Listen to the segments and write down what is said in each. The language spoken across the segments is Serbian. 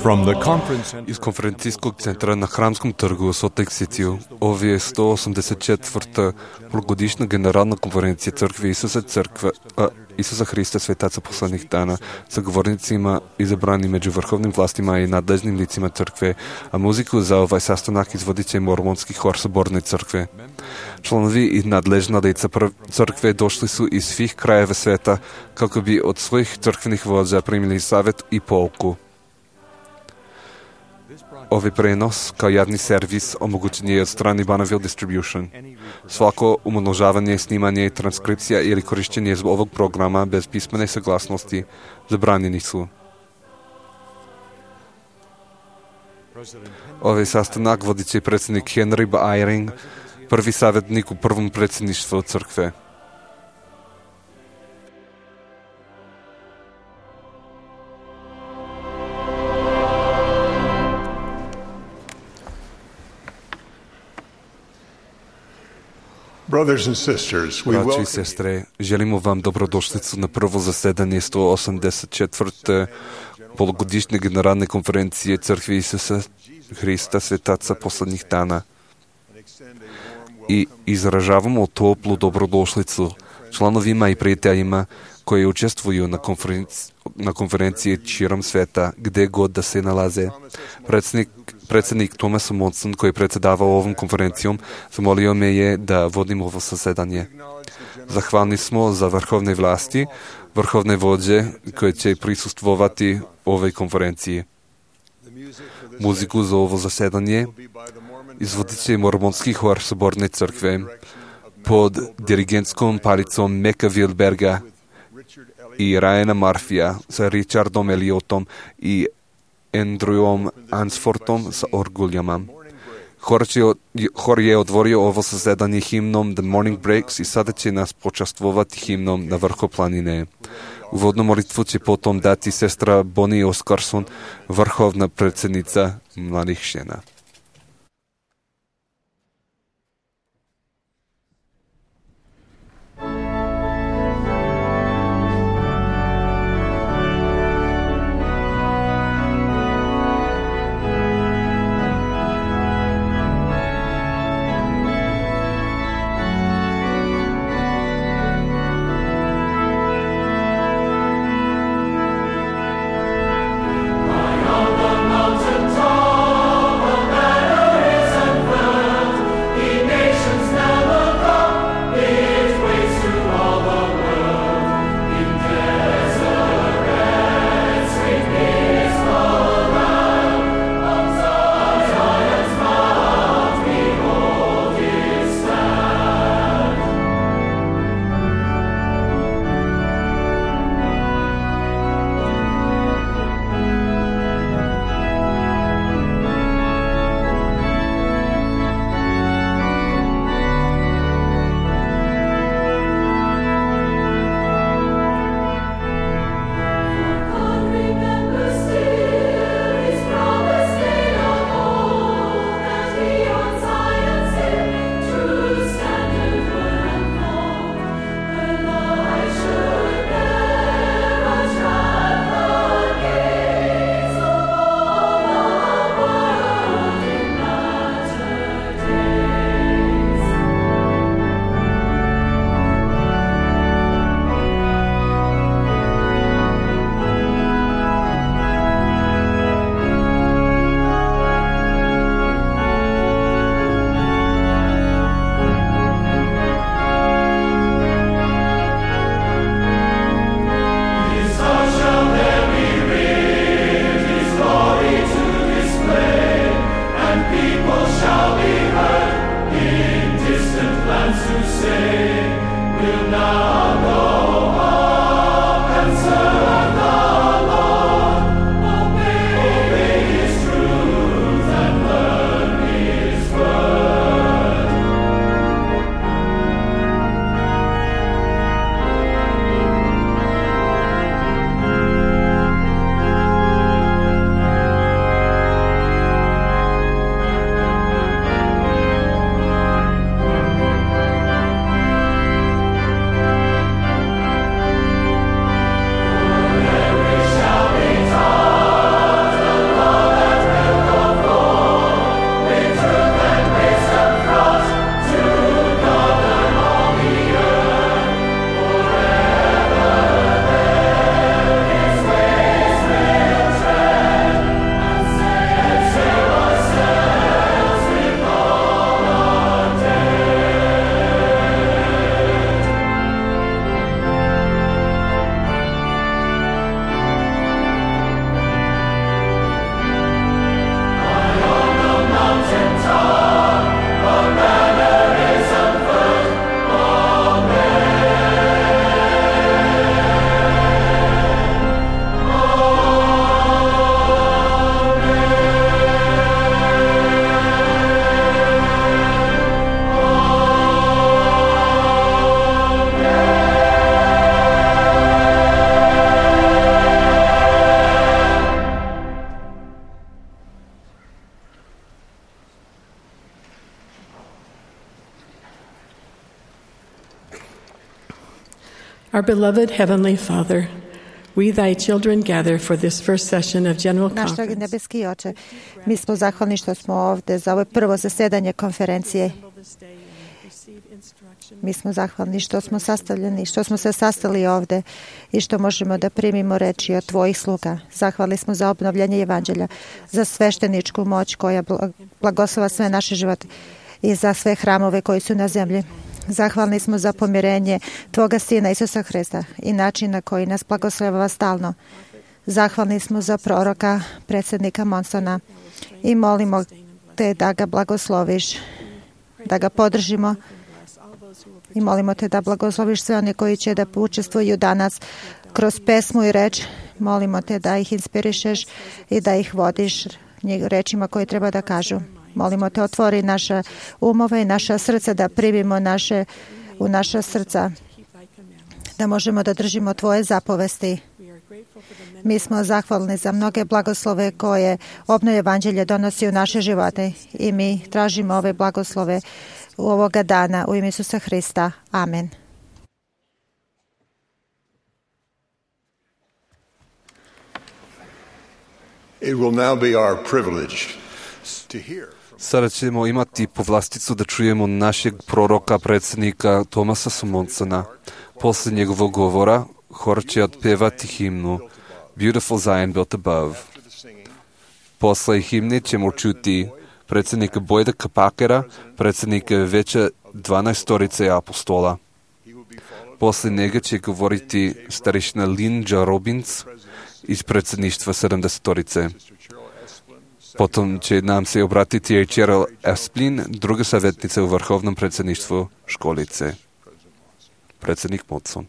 Из конференцийскog центра на Храмском тргу Солт-Лейк Сити, ова е 184-та полугодишна генерална конференция Църква Исуса Христа Светаца последних дана, са говорницima избрани među vrhovnim vlastima i nadležnim licima crkve, a muziku za ovaj sastanak izvodit će mormonski hor Soborne crkve. Članovi i nadležna lica crkve došli su iz svih krajeva sveta kako bi od svojih crkvenih vođa primili savjet i pouku. Ovaj prenos kao javni servis omogućen je od strane Bonneville Distribution. Svako umnožavanje, snimanje, transkripcija ili korišćenje ovog programa bez pismene saglasnosti zabranjeni su. Ovaj sastanak vodit će predsjednik Henry B. Eyring, prvi savjetnik u prvom predsjedništvu crkve. Braći i sestre, želimo vam dobrodošlicu na prvo zasedanje 184. polugodišnje generalne konferencije Crkve Isusa Hrista Svetaca poslednjih dana. I izražavamo toplu dobrodošlicu članovima i prijateljima koji učestvuju na konferenciji širom sveta, gde god da se nalaze. Predsjednik Thomas Monson, koji je predsjedavao ovom konferencijom, zamolio me je da vodim ovo zasedanje. Zahvalni smo za vrhovne vlasti, vrhovne vođe koje će prisustvovati ovoj konferenciji. Muziku za ovo zasedanje izvodit će mormonski hor Soborne crkve pod dirigentskom palicom Meka Wildberga i Ryana Murphyja sa Richardom Elliotom i Andrewom Ansfortom sa orguljama. Hor je otvorio ovo zasedanje himnom The Morning Breaks i sada će nas počastvovati himnom Na vrhu planine. Uvodnu molitvu će potom dati sestra Bonnie Oscarson, vrhovna predsjednica mladih žena. On the mountain top Our beloved Heavenly Father, we, thy children, gather for this first session of General Naš dragi Conference. nebeski Oče, mi smo zahvalni što smo ovde za ovo prvo zasedanje konferencije. Mi smo zahvalni što smo sastavljeni, što smo se sastali ovde i što možemo da primimo reči od tvojih sluga. Zahvalni smo za obnovljanje evanđelja, za svešteničku moć koja blagoslova sve naše živote i za sve hramove koji su na zemlji. Zahvalni smo za pomirenje Tvoga Sina Isusa Hrista i način na koji nas blagoslova stalno. Zahvalni smo za proroka, predsjednika Monsona i molimo te da ga blagosloviš, da ga podržimo i molimo te da blagosloviš sve one koji će da učestvuju danas kroz pesmu i reč. Molimo te da ih inspirišeš i da ih vodiš rečima koje treba da kažu. Molimo te, otvori naša umove i naša srca, da primimo u naša srca, da možemo da držimo tvoje zapovesti. Mi smo zahvalni za mnoge blagoslove koje obnove evanđelje donosi u naše živote i mi tražimo ove blagoslove u ovoga dana u ime Isusa Hrista. Amen. It will now be our privilege to hear. Sada ćemo imati povlasticu da čujemo našeg proroka, predsjednika Thomasa S. Monsona. Posle njegovog govora hor će otpevati himnu Beautiful Zion Built Above. Posle himne ćemo čuti predsjednika Boyda Kapakera, predsjednika Veća 12 apostola. Posle njega će govoriti starešina Linda Robbins iz predsjedništva 70. Potom će nam se obratiti i Cheryl Esplin, druga savjetnica u vrhovnom predsjedništvu školice. Predsjednik Monson.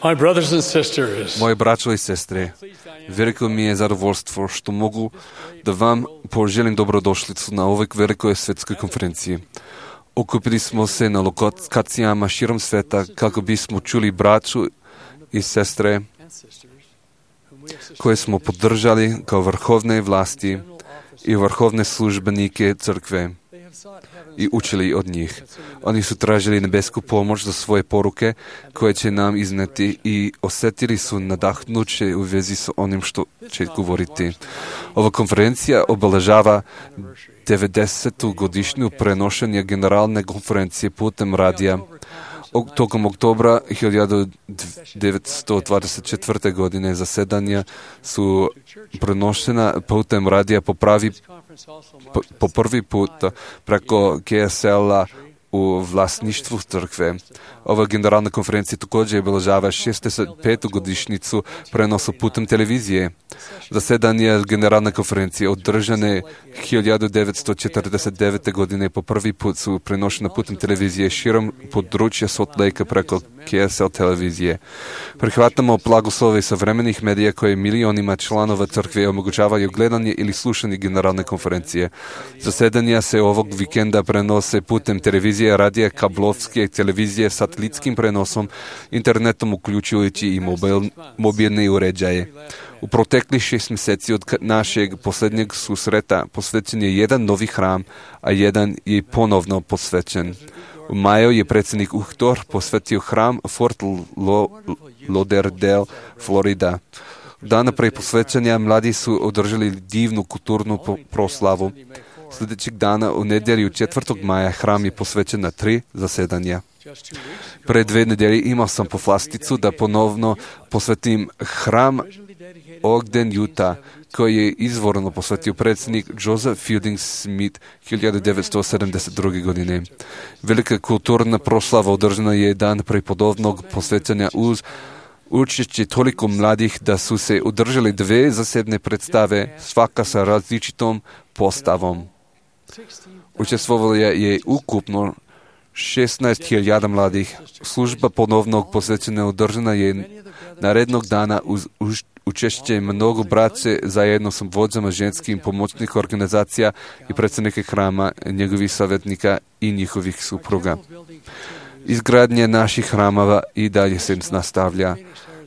My brothers and sisters, Moje braćo i sestre, veliko mi je zadovoljstvo što mogu da vam poželim dobrodošlicu na ovoj velikoj svjetskoj konferenciji. Okupili smo se na lokacijama širom sveta kako bismo čuli braću i sestre koje smo podržali kao vrhovne vlasti i vrhovne službenike crkve i učili od njih. Oni su tražili nebesku pomoć za svoje poruke koje će nam izneti i osjetili su nadahnuće u vezi s onim što će govoriti. Ova konferencija obeležava 90. godišnju prenošenja generalne konferencije putem radija. Tokom oktobra 1924. godine zasedanja su prenošena putem radija po prvi put preko KSL-a u vlasništvu crkve. Ova generalna konferencija također obeležava 65. godišnjicu prenosa putem televizije. Zasedanje generalne konferencije održane 1949. godine po prvi put su prenošene putem televizije širom područja Salt Lake preko KSL televizije. Prihvatamo blagoslove savremenih medija koje milionima članova crkve omogućavaju gledanje ili slušanje generalne konferencije. Zasedanja se ovog vikenda prenose putem televizije, radija, kablovske televizije, satelitskim prenosom, internetom uključujući i mobilne uređaje. U proteklih 6 mjeseci od našeg posljednjeg susreta posvećen je jedan novi hram, a jedan je ponovno posvećen. U maju je predsjednik Uhtor posvetio hram Fort Lauderdale, Florida. Dana pre posvećanja mladi su održali divnu kulturnu proslavu. Sljedećeg dana u nedjelju 4. maja hram je posvećen na 3 zasedanja. Pre 2 nedelje imao sam povlasticu da ponovno posvetim hram Ogden, Utah, koji je izvorno posvetio predsjednik Joseph Fielding Smith 1972. godine. Velika kulturna proslava održana je dan pre podobnog posvećanja uz učešće toliko mladih da su se održali 2 zasebne predstave, svaka sa različitom postavom. Učestvovalo je ukupno 16.000 mladih. Služba ponovnog posvećenja održana je narednog dana uz učešće mnogo braće zajedno s vođama ženskih pomoćnih organizacija i predsjednika hrama, njegovih savjetnika i njihovih supruga. Izgradnje naših hramava i dalje se nastavlja.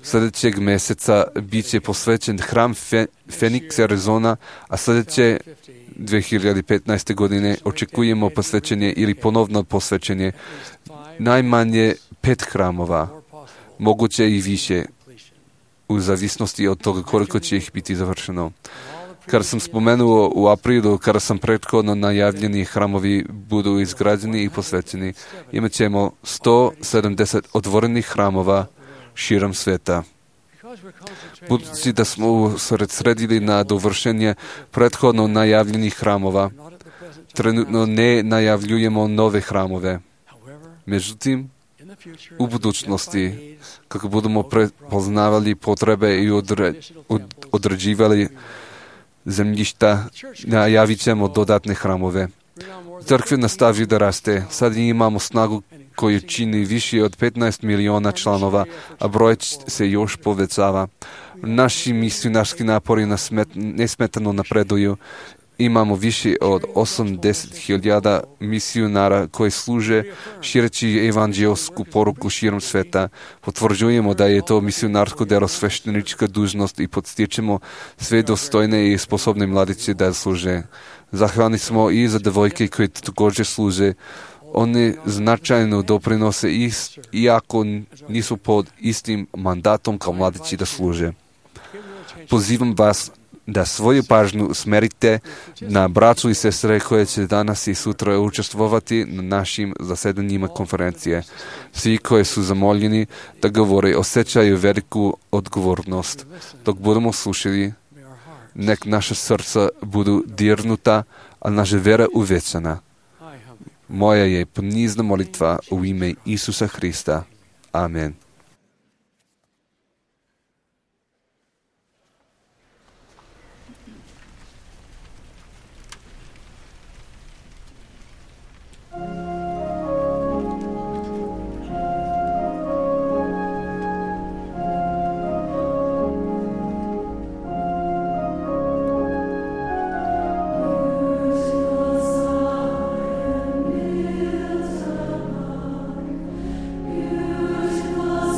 Sljedećeg mjeseca bit će posvećen hram Phoenix, Arizona, a sljedeće 2015. godine očekujemo posvećenje ili ponovno posvećenje najmanje 5 hramova, moguće i više, u zavisnosti od toga koliko će ih biti završeno. Kada sam spomenuo u aprilu, kada sam prethodno najavljeni hramovi budu izgrađeni i posvećeni, imat ćemo 170 otvorenih hramova širom sveta. Budući da smo usredsredili na dovršenje prethodno najavljenih hramova, trenutno ne najavljujemo nove hramove. Međutim, u budućnosti, kako budemo prepoznavali potrebe i određivali zemljišta, najavit ćemo dodatne hramove. Crkva nastavi da raste. Sad imamo snagu koju čini više od 15 miliona članova, a broj se još povećava. Naši misionarski napori nesmetano napreduju. Imamo više od 80.000 misionara koji služe šireći evanđelsku poruku širom sveta. Potvrđujemo da je to misionarsko delo sveštenička dužnost i podstičemo sve dostojne i sposobne mladiće da služe. Zahvalni smo i za devojke koji također služe. Oni značajno doprinose iako nisu pod istim mandatom kao mladići da služe. Pozivam vas da svoju pažnju usmerite na braću i sestre koje će danas i sutra učestvovati na našim zasedanjima konferencije. Svi koji su zamoljeni da govore osjećaju veliku odgovornost. Dok budemo slušali, nek naša srca budu dirnuta, a naša vera uvećana. Moja je ponizna molitva u ime Isusa Hrista. Amen. Was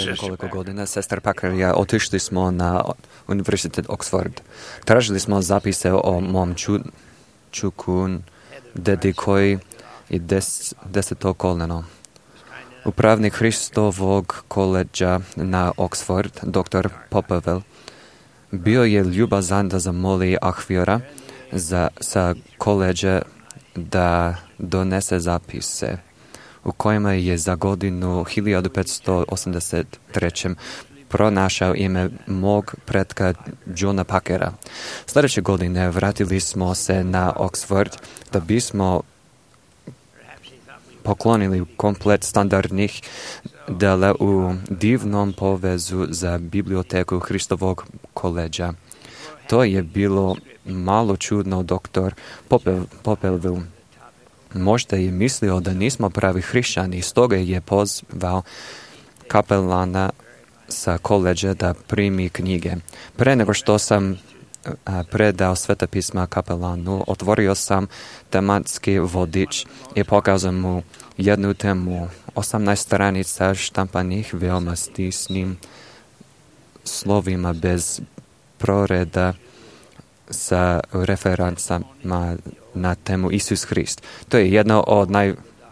nekoliko godina, sestar Packer i ja otišli smo na Univerzitet Oxford. Tražili smo zapise o mom čuku, dedi koji i deseto koleno. Upravnik Hristovog koleđa na Oxford, dr. Popovel, bio je ljubazan da zamoli Ahvira sa koleđa da donese zapise u kojima je za godinu 1583. pronašao ime mog pretka Johna Packera. Sljedeće godine vratili smo se na Oxford da bismo poklonili komplet standardnih dela u divnom povezu za biblioteku Hristovog koleđa. To je bilo malo čudno, doktor Popelville. Možda je mislio da nismo pravi hrišćani, stoga je pozvao kapelana sa koleđa da primi knjige. Pre nego što sam predao Sveta pisma kapelanu, otvorio sam tematski vodič i pokazao mu jednu temu, 18 stranica štampanih veoma stisnim slovima bez proreda sa referencama na temu Isus Hrist. To je jedno od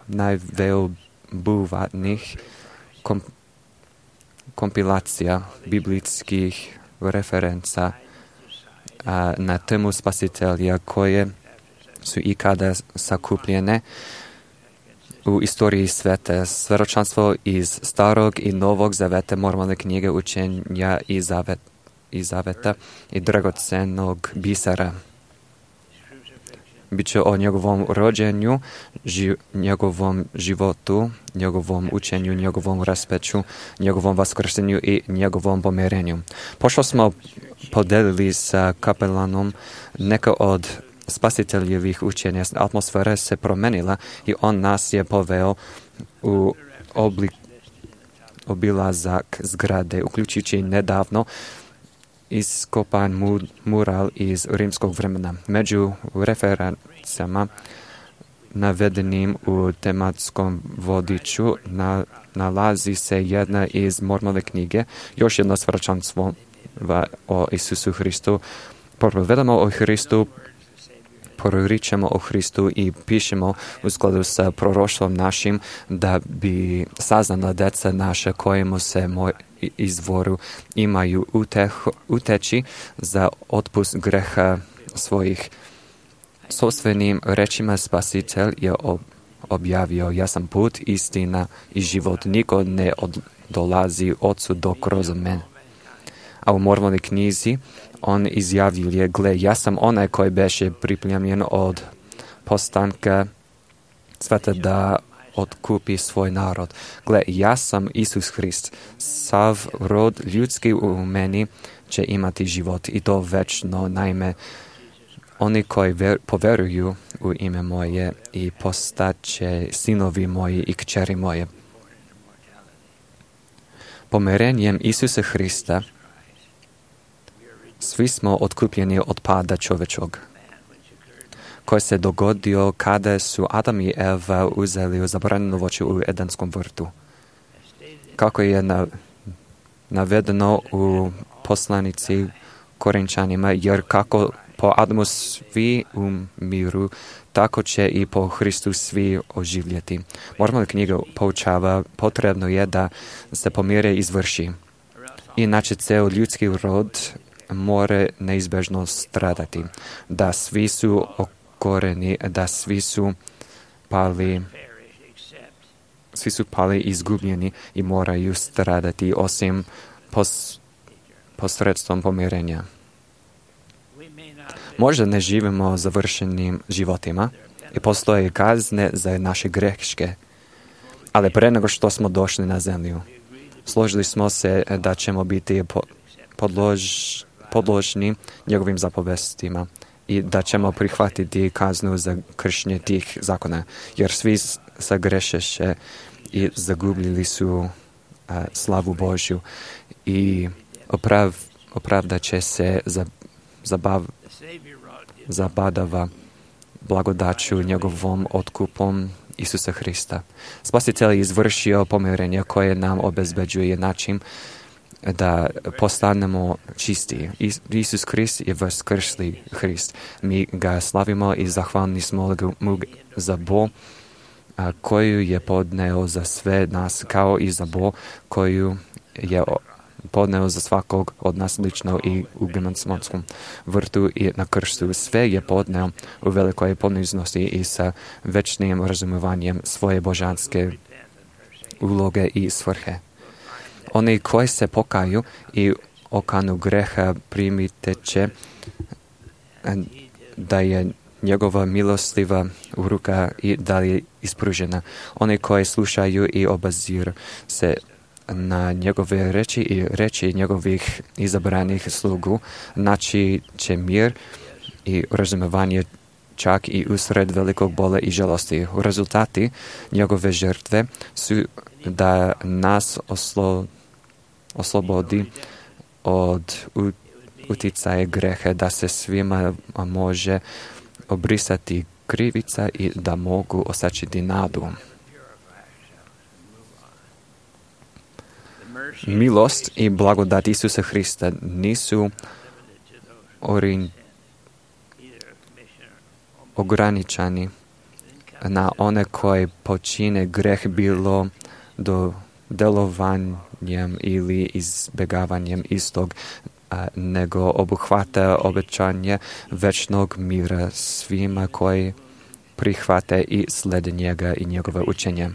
najveobuhvatnijih kompilacija biblijskih referenca na temu spasitelja koje su ikada sakupljene u istoriji sveta. Svedočanstvo iz Starog i Novog zaveta, moralne knjige učenja i zaveta i dragocenog bisera. Biće o njegovom rođenju, njegovom životu, njegovom učenju, njegovom raspeću, njegovom vaskrsenju i njegovom pomirenju. Pošto smo podelili sa kapelanom neka od spasiteljevih učenja, atmosfera se promenila i on nas je poveo u obilazak zgrade, uključujući nedavno iskopan mural iz rimskog vremena. Među referencama navedenim u tematskom vodiču nalazi se jedna iz moralne knjige, još jedno svedočanstvo o Isusu Hristu. Propovedamo o Hristu, proričemo o Hristu i pišemo u skladu sa proroštvom našim da bi saznala deca naša kojemu se izvoru imaju uteći za otpust greha svojih. Sopstvenim rečima Spasitelj je objavio: ja sam put, istina i život. Niko ne dolazi Otcu do kroz mene. A u moralnoj knjizi on izjavljuje: gle, ja sam onaj koji beše pripremljen od postanka sveta da otkupi svoj narod. Gle, ja sam Isus Hrist. Sav rod ljudski u meni će imati život i to večno. Naime, oni koji poveruju u ime moje i postaće sinovi moji i kćeri moje. Pomirenjem Isusa Hrista svi smo otkupljeni od pada čovječog, koji se dogodio kada su Adam i Eva uzeli zabranjeno voće u Edenskom vrtu. Kako je navedeno u poslanici Korinčanima, jer kako po Adamu svi umiru, tako će i po Hristu svi oživjeti. Moralna knjiga poučava: potrebno je da se pomire izvrši, inače ceo ljudski rod more neizbežno stradati, da svi su okoreni, da svi su pali izgubljeni i moraju stradati osim posredstvom pomirenja. Možda ne živimo završenim životima i postoje kazne za naše greške, ali pre nego što smo došli na zemlju, složili smo se da ćemo biti podložni njegovim zapovestima i da ćemo prihvatiti kaznu za kršenje tih zakona, jer svi sagrešeše i zagubili su slavu Božju i opravdat će se zabadava blagodaću njegovom otkupom Isusa Hrista. Spasitelj je izvršio pomirenje koje nam obezbeđuje način da postanemo čisti. Isus Hrist je vaskrsli Hrist. Mi ga slavimo i zahvalni smo mu za bol koju je podneo za sve nas, kao i za bol koju je podneo za svakog od nas lično i u Getsemanskom vrtu i na krstu. Sve je podneo u velikoj poniznosti i sa večnim razumovanjem svoje božanske uloge i svrhe. Oni koji se pokaju i okanu greha primite će da je njegova milostiva ruka i da je ispružena. Oni koji slušaju i obaziru se na njegove reči i reči njegovih izabranih slugu, naći će mir i razumevanje čak i usred velikog bola i žalosti. Rezultati njegove žrtve su da nas oslobodi od uticaja grehe, da se svima može obrisati krivica i da mogu osačiti nadu. Milost i blagodat Isusa Hrista nisu ograničeni na one koji počine greh, bilo do delovanjem ili izbjegavanjem istog, nego obuhvata obećanje večnog mira svima koji prihvate i slede njega i njegove učenje.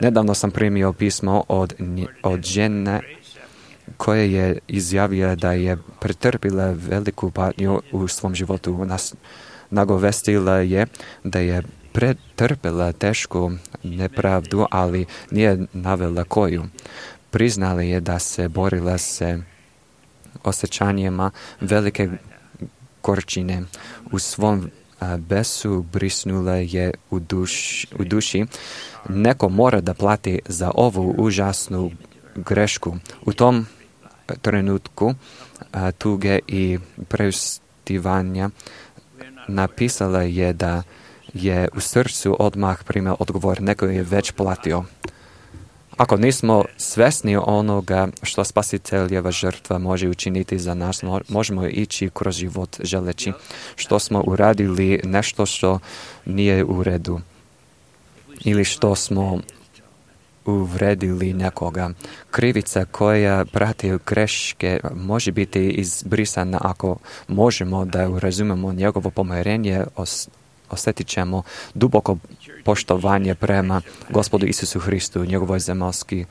Nedavno sam primio pismo od žene koja je izjavila da je pretrpila veliku patnju u svom životu. Nagovestila je da je pretrpela tešku nepravdu, ali nije navela koju. Priznala je da se borila se osjećanjima velike gorčine. U svom besu brisnula je u duši. Neko mora da plati za ovu užasnu grešku. U tom trenutku tuge i preustivanja napisala je da je u srcu odmah primio odgovor, neko je već platio. Ako nismo svesni onoga što spasiteljeva žrtva može učiniti za nas, možemo ići kroz život želeći što smo uradili nešto što nije u redu ili što smo uvredili nekoga. Krivica koja prati greške može biti izbrisana ako možemo da razumemo njegovo pomirenje, osjetit ćemo duboko poštovanje prema Gospodu Isusu Hristu, njegovoj zemaljskoj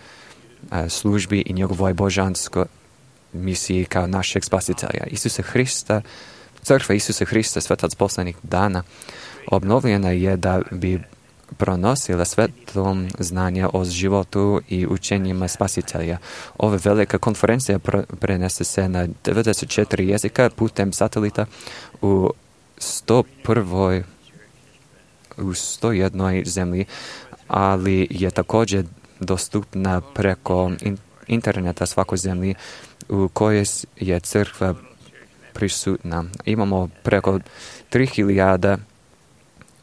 službi i njegovoj božanskoj misiji kao našeg spasitelja. Isusa Hrista, crkva Isusa Hrista, svetac poslednjih dana, obnovljena je da bi pronosila svetlom znanja o životu i učenjima spasitelja. Ova velika konferencija prenese se na 94 jezika putem satelita u 101 zemlji, ali je također dostupna preko interneta svakoj zemlji u kojoj je crkva prisutna. Imamo preko 3000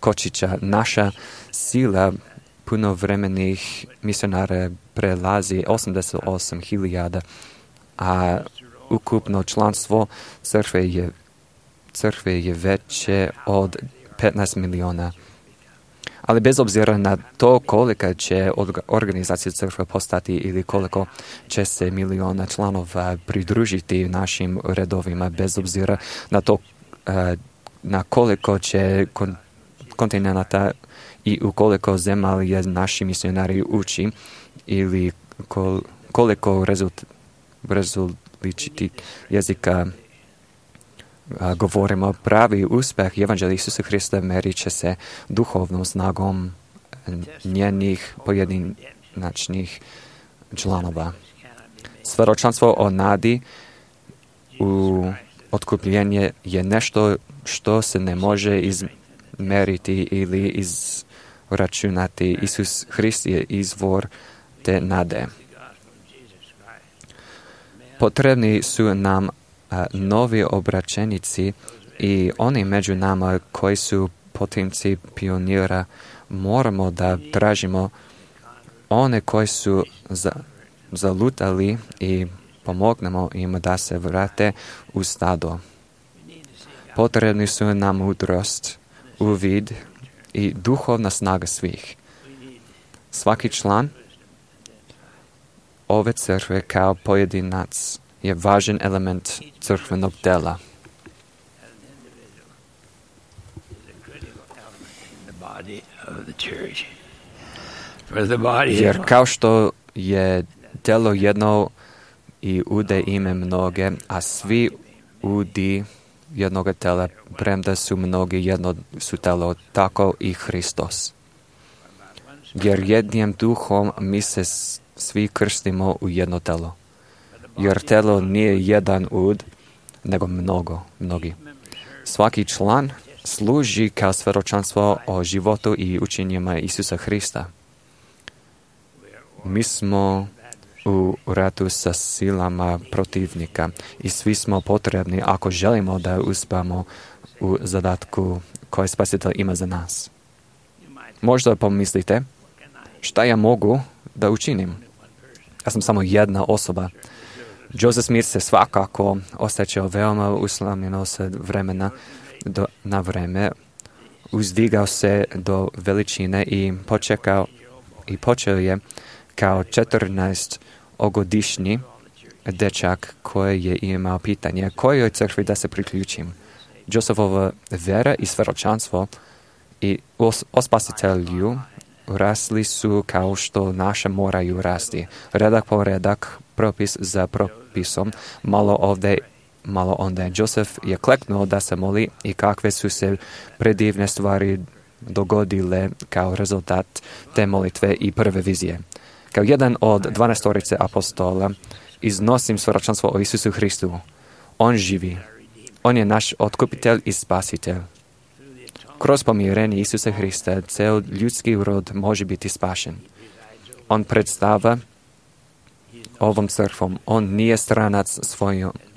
kočića. Naša sila punovremenih misionara prelazi 88.000, a ukupno članstvo crkve je veće od 15 miliona. Ali bez obzira na to kolika će organizacija crkve postati ili koliko će se miliona članova pridružiti našim redovima, bez obzira na to na koliko će kontinenta i u koliko zemalja naši misionari uči ili koliko različitih jezika govorimo, pravi uspeh evanđelja Isusa Hrista merit će se duhovnom snagom njenih pojedinačnih članova. Svedočanstvo o nadi u otkupljenje je nešto što se ne može izmeriti ili izračunati. Isus Hrist je izvor te nade. Potrebni su nam novi obraćenici i oni među nama koji su potomci pionira moramo da tražimo one koji su zalutali i pomognemo im da se vrate u stado. Potrebni su nam mudrost, uvid i duhovna snaga svih. Svaki član ove crkve kao pojedinac je važan element crkvenog dela. Jer kao što je telo jedno i ude ime mnoge, a svi udi jednoga tela, premda su mnogi jedno su telo, tako i Hristos. Jer jednim duhom mi se svi krstimo u jedno telo. Jer telo nije jedan ud, nego mnogi. Svaki član služi kao svjedočanstvo o životu i učenjima Isusa Hrista. Mi smo u ratu sa silama protivnika i svi smo potrebni ako želimo da uspamo u zadatku koji Spasitelj ima za nas. Možda pomislite, šta ja mogu da učinim? Ja sam samo jedna osoba. Joseph Smith se svakako osjećao veoma uslamljeno sa vremena na vreme, uzdigao se do veličine i počeo je kao 14-godišnji dečak koji je imao pitanje kojoj crkvi da se priključim. Josephova vera i svjedočanstvo i o Spasitelju rasli su kao što naše moraju rasti. Redak po redak, propis za propisom, malo ovdje, malo onda. Joseph je kleknuo da se moli i kakve su se predivne stvari dogodile kao rezultat te molitve i prve vizije. Kao jedan od 12 apostola iznosim svjedočanstvo o Isusu Hristu. On živi. On je naš otkupitelj i spasitelj. Kroz pomirenje Isusa Hrista cel ljudski rod može biti spašen. On predstava ovom crkvom. On nije stranac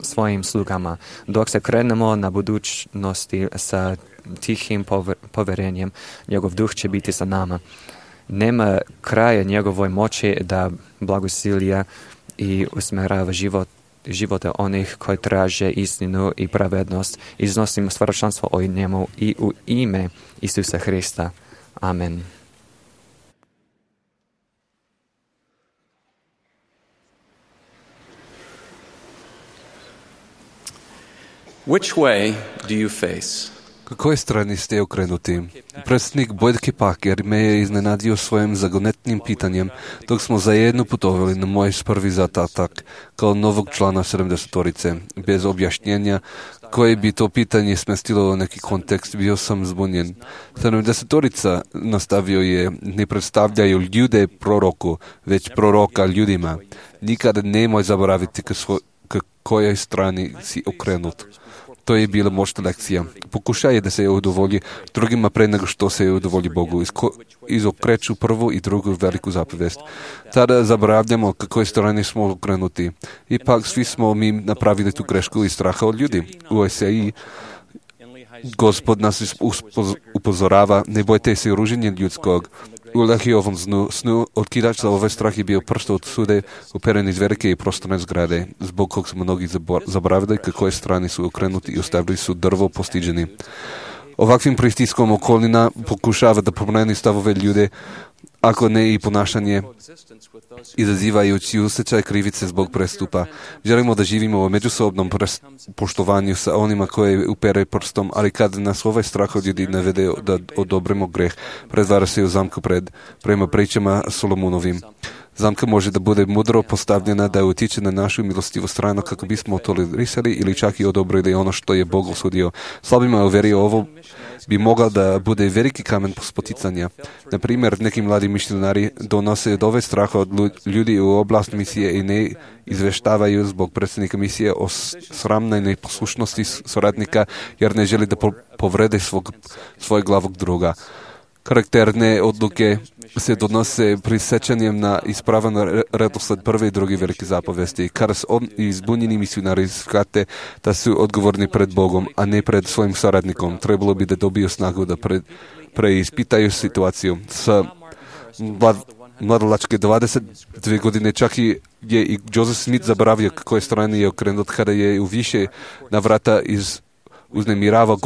svojim slugama. Dok se krenemo na budućnosti sa tihim poverenjem, njegov duh će biti sa nama. Nema kraja njegovoj moći da blagosilja i usmerava živote onih koji traže istinu i pravednost. Iznosimo svjedočanstvo o njemu i u ime Isusa Hrista. Amen. Which way do you face? Kojoj strani ste okrenuti? Predsjednik Boyd Parker me je iznenadio svojim zagonetnim pitanjem dok smo zajedno putovali na moj prvi zadatak kao novog člana 70-torice. Bez objašnjenja koje bi to pitanje smestilo u neki kontekst, bio sam zbunjen. 70-torica, nastavio je, ne predstavljaju ljude proroku, već proroka ljudima. Nikada nemoj zaboraviti k kojoj strani si okrenut. To je bila moćna lekcija. Pokušaj da se udovolji drugima pre nego što se udovolji Bogu. Izokreću prvu i drugu veliku zapovest. Tada zaboravljamo kakoj strani smo okrenuti. Ipak svi smo mi napravili tu grešku iz straha od ljudi. U Esaiji Gospod nas upozorava, ne bojte se ruženja ljudskog. U Lehiovom snu otkidač za ovaj strah je bio prst od sude uperen iz velike i prostorne zgrade, zbog kog su mnogi zaboravili kakoj strani su okrenuti i ostavili su drvo postiđeni. Ovakvim pritiskom okolina pokušava da promeni stavove ljude, ako ne i ponašanje, izazivajući osjećaj krivice zbog prestupa. Želimo da živimo u međusobnom poštovanju sa onima koje upere prstom, ali kad nas ovaj strah od ljudi navede da odobrimo greh, pretvara se u zamku prema pričama Solomonovim. Zamka može da bude mudro postavljena da utiče na našu milostivu stranu kako bismo tolerisali ili čak i odobrili ono što je Bog osudio. Slabima u veri ovo bi mogla da bude veliki kamen spoticanja. Na primjer, neki mladi misionari donose od ove straha od ljudi u oblast misije i ne izveštavaju zbog predsjednika misije o sramnoj neposlušnosti suradnika jer ne želi da povrede svoj glavog druga. Karakterne odluke se donose prisjećanjem na ispravan redosled prve i druge velike zapovesti. Kada izbunjeni misionari shvate da su odgovorni pred Bogom, a ne pred svojim saradnikom, trebalo bi da dobiju snagu da preispitaju situaciju. Sa mladalačke 22 godine čak je i Joseph Smith zaboravio koje strane je okrenut kada je u više navrata uznemiravao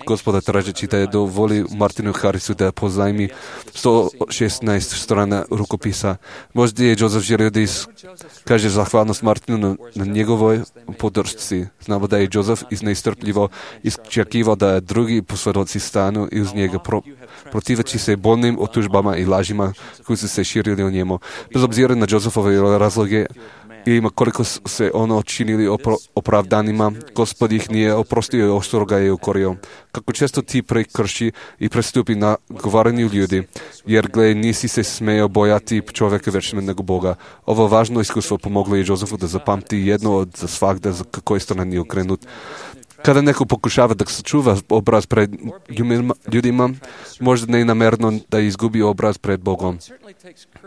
gospoda tražeći da je dovoli Martinu Harrisu da pozajmi 116 strana rukopisa. Možda je Joseph želio da kaže zahvalnost Martinu na njegovoj podršci. Znamo da je Joseph nestrpljivo iščekivao da drugi posvjedoci stanu i uz njega protiveći se bolnim otužbama i lažima koji su se širili o njemu. Bez obzira na Josephove razloge i koliko se ono činili opravdanima, Gospod ih nije oprostio i oštro ga je ukorio. Kako često ti prekrši i prestupi na govaranju ljudi, jer gle, nisi se smeo bojati čovjeka većme nego Boga. Ovo važno iskustvo pomoglo je Josefu da zapamti jedno od za svakda za kakoj strani je okrenut. Kada neko pokušava da sačuva obraz pred ljudima, možda nenamerno da izgubi obraz pred Bogom.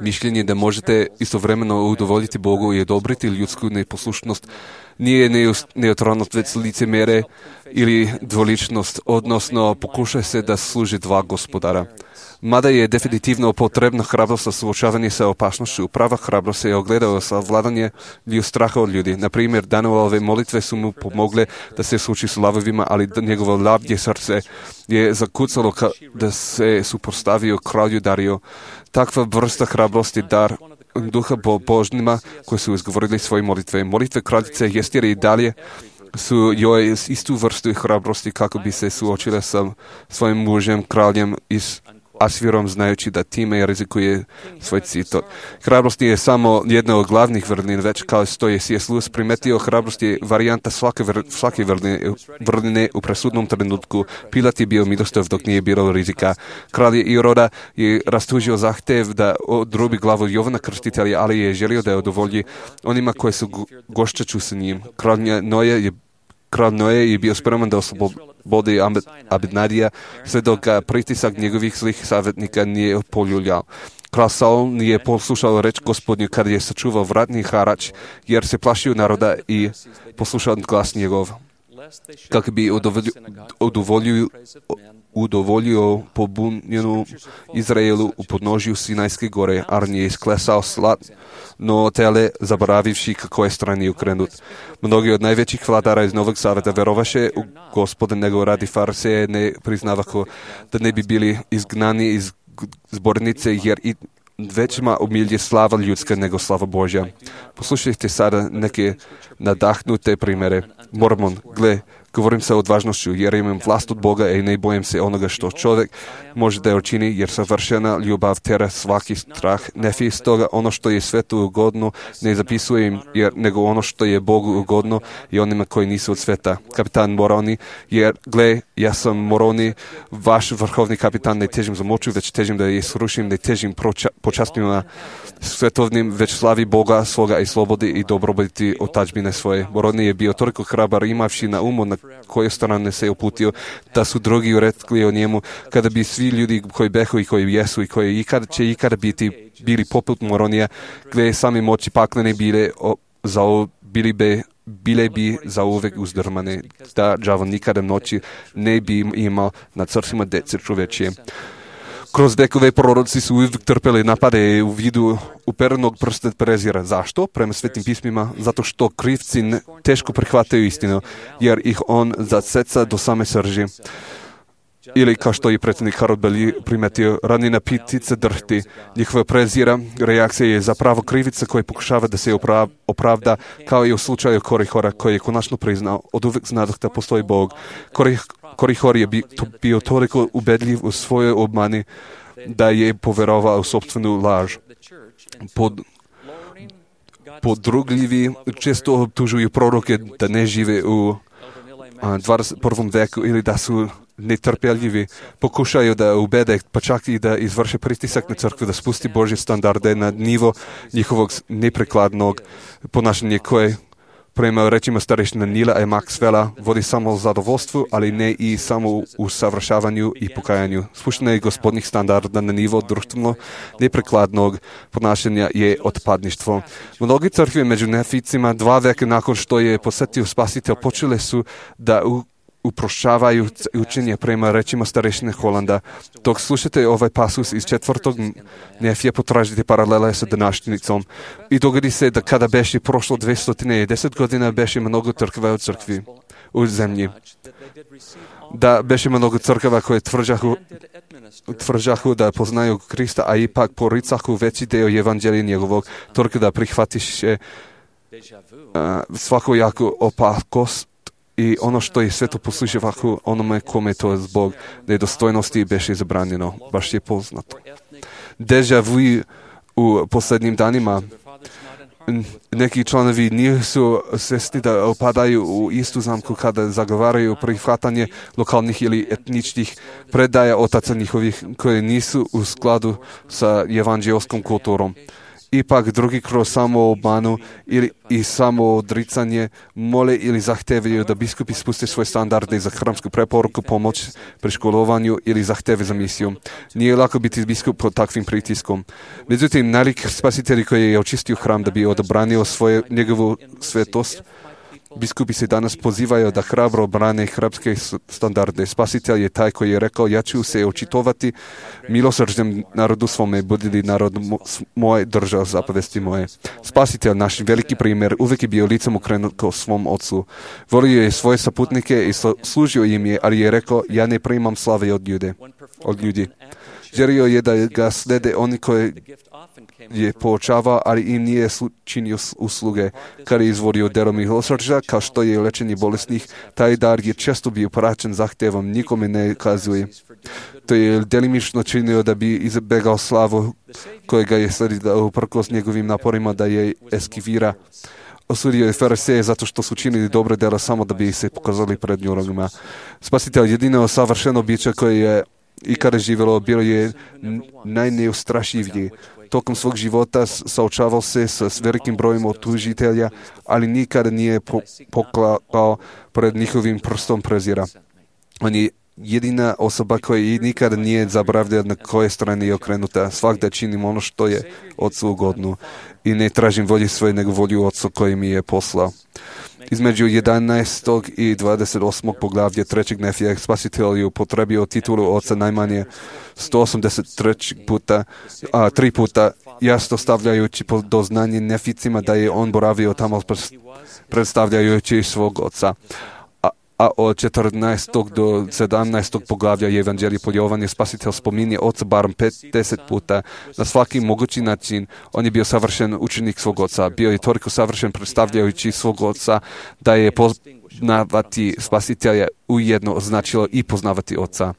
Mišljenje da možete istovremeno udovoljiti Bogu i odobriti ljudsku neposlušnost nije neutralnost, već licemjerje ili dvoličnost, odnosno pokuša se da služi dva gospodara. Mada je definitivno potrebna hrabrost za suočavanje sa opasnošću, prava hrabrost se je ogledala sa vladanje straha od ljudi. Na primjer, Danielove molitve su mu pomogle da se suoči s lavovima, ali njegovo lavlje srce je zakucalo da se suprotstavio kralju Dariju. Takva vrsta hrabrosti je dar duha božnima koji su izgovorili svoje molitve. Molitve kraljice Jestire i dalje su joj istu vrstu hrabrosti kako bi se suočila sa svojim mužem, kraljem iz Asvirom, znajući da time rizikuje svoj citot. Hrabrost nije samo jedna od glavnih vrlin, već kao što je C.S. Lewis primetio, hrabrost je varijanta svake vrline u presudnom trenutku. Pilat je bio milostiv dok nije bilo rizika. Kralj Iroda je rastužio zahtev da odrubi glavu Jovana Krstitelja, ali je želio da udovolji onima koji su gošćaču sa njim. Kralj Noe je bio spreman da oslobodi Abinadija, sve dok ga pritisak njegovih zlih savjetnika nije poljuljao. Kralj Saul nije poslušao reč Gospodnju kada je sačuvao vratni harač, jer se plašio naroda i poslušao glas njegov. Kako bi udovoljio pobunjenu Izraelu u podnožju Sinajske gore, Arn je isklesao slatno tele, zaboravivši kako je strani okrenut. Mnogi od najvećih vladara iz Novog Zaveta verovaše u Gospoda, nego radi Fariseje ne priznavako da ne bi bili izgnani iz zbornice, jer i većma omilje slava ljudska nego slava Božja. Poslušajte sada neke nadahnute primjere. Mormon, gle, govorim sa odvažnošću, jer imam vlast od Boga i ne bojim se onoga što čovjek može da učini, jer savršena ljubav tera svaki strah. Nefi, stoga ono što je svetu ugodno ne zapisujem, nego ono što je Bogu ugodno i onima koji nisu od sveta. Kapitan Moroni, jer gle, ja sam Moroni, vaš vrhovni kapitan, ne težim za moću, već težim da je srušim, ne težim počastima svetovnim, već slavi Boga svoga i slobodi i dobrobiti otačbine svoje. Moroni je bio toliko hrabar, imavši na umu na koje strane se uputio, da su drugi rekli o njemu, kada bi svi ljudi koji behu i koji jesu i koji će ikada bili poput Moronija, gdje sami moći paklene bile bi za uvek uzdrmane, da đavo nikada noći ne bi imao nad srcima dece čovečije. Kroz vekove proroci su uvijek trpeli napade u vidu uperenog prsta prezira. Zašto? Prema svetim pismima, zato što krivci teško prihvataju istinu, jer ih on zaseca do same srži. Ili, kao što je predsjednik Harold Bailey primetio, ranina ptice drhti. Njihova prezira reakcija je zapravo krivica koja pokušava da se opravda, kao i u slučaju Korihora, koji je konačno priznao, od uvek znadoh da postoji Bog. Korihor je bio toliko ubedljiv u svojoj obmani da je poverovao u sopstvenu laž. Podrugljivi često optužuju proroke da ne žive u 21. veku ili da su netrpeljivi, pokušaju da ubede, pa čak i da izvrše pritisak na crkvu, da spusti Božje standarde na nivo njihovog neprekladnog ponašanja koje prema rečima starešina Nila i Maxwella, vodi samo zadovoljstvu, ali ne i samo u savršavanju i pokajanju. Spuštanje gospodnih standarda na nivo društveno neprekladnog ponašanja je otpadništvo. Mnogi crkve među neficima 2 veka nakon što je posjetio Spasitelj počele su da uprošćavaju učenje prema rečima starešine Holanda. Dok slušate ovaj pasus iz 4. Nefija, potražite paralele sa današnjicom. I dogodi se da kada beše prošlo 210 godina, beše mnogo crkva u crkvi, u zemlji. Da beše mnogo crkava koje tvržahu da poznaju Krista, a ipak poricahu veći deo evanđelja njegovog, toliko da prihvatiše svakojaku opakost i ono što je sveto poslužavahu onome kome to zbog nedostojnosti beše zabranjeno. Baš je poznato. Deja vu u posljednjim danima. Neki članovi nisu svjesni da opadaju u istu zamku kada zagovaraju prihvatanje lokalnih ili etničkih predaja otaca njihovih koje nisu u skladu sa evanđelskom kulturom. Ipak drugi kroz samoobmanu i samoodricanje mole ili zahtevaju da biskupi spuste svoje standarde za hramsku preporuku, pomoć pri školovanju ili zahteve za misiju. Nije lako biti biskup pod takvim pritiskom. Međutim, najlik Spasitelj koji je očistio hram da bi odobranio njegovu svetost, biskupi se danas pozivaju da hrabro brane hramske standarde. Spasitelj je taj koji je rekao: ja ću se očitovati milosrđem narodu svome, budili narod moj držao zapovesti moje. Spasitelj, naš veliki primjer, uvijek je bio licem okrenut kao svom ocu. Volio je svoje saputnike i služio im je, ali je rekao: ja ne primam slave od ljudi. Želio je da ga slede oni koji je poučavao, ali im nije činio usluge. Kada je izvodio delo milosrđa, kao što je lečenje bolesnih, taj dar je često bio praćen zahtevom, nikome ne kazuje. To je delimično činio da bi izbegao slavu kojega je sledila uprkos njegovim naporima da je eskivira. Osudio je fariseje zato što su činili dobre dela samo da bi se pokazali pred ljudima. Spasitelj, jedino savršeno biće koje je i kada je živjelo, bilo je najneustrašivije. Tokom svog života saočavao se s velikim brojem otužitelja, ali nikada nije poklao pred njihovim prstom prezira. On je jedina osoba koja nikada nije zaboravljena na koje strane je okrenuta. Svakda činim ono što je Otcu ugodno i ne tražim volju svoje, nego volju Otcu koji mi je poslao. Između 11. i 28. poglavlja 3. Nefija Spasitelj je upotrebio titulu Oca najmanje 183 puta, 3 puta, jasno stavljajući do znanje neficima da je on boravio tamo predstavljajući svog Oca. A od 14. do 17. poglavlja Evanđelja po Jovanu Spasitelj spominje Oca barem 50 puta. Na svaki mogući način on je bio savršen učenik svog Oca. Bio je toliko savršen predstavljajući svog Oca da je poznavati Spasitelja ujedno značilo i poznavati Oca.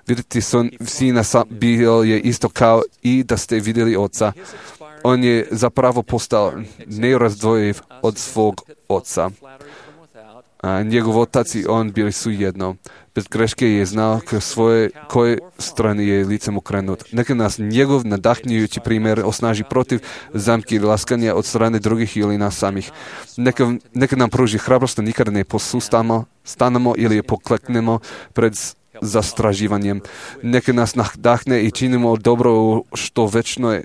Vidjeti Sina bio je isto kao i da ste vidjeli Oca. On je zapravo postao nerazdvojiv od svog Oca. Njegov otac i on bili su jedno. Bez greške je znao koje strane je licem okrenut. Neka nas njegov nadahnjujući primjer osnaži protiv zamke i laskanja od strane drugih ili nas samih. Neka nam pruži hrabrost da nikada ne stanemo ili pokleknemo pred zastraživanjem. Neka nas nadahne i činimo dobro što večnoj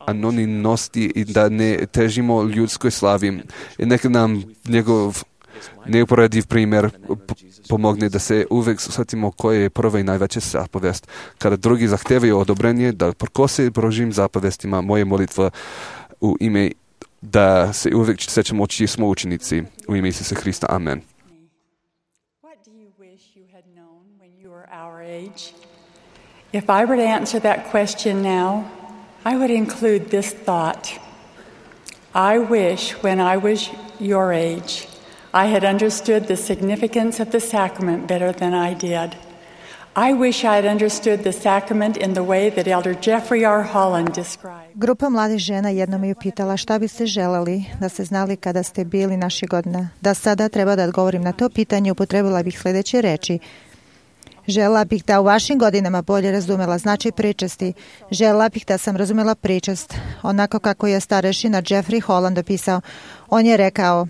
anonimnosti i da ne težimo ljudskoj slavi. I neka nam njegov neuporediv primjer pomogne da se uvijek shvatimo koje je prva i najveća zapovest. Kada drugi zahtevaju odobrenje da prkose Božjim zapovestima, moje molitva u ime da se uvijek sećamo čiji smo učenici. U ime Isusa Hrista. Amen. If I were to answer that question now, I would include this thought. I wish when I was your age, I had understood the significance of the sacrament better than I did. I wish I had understood the sacrament in the way that Elder Jeffrey R. Holland described. Grupa mladih žena jednom je pitala šta biste želeli da ste znali kada ste bili naših godina. Da sada treba da odgovorim na to pitanje, upotrebila bih sljedeće reči. Želela bih da u vašim godinama bolje razumela značaj pričasti. Želela bih da sam razumela pričast onako kako je starešina Jeffrey Holland opisao. On je rekao,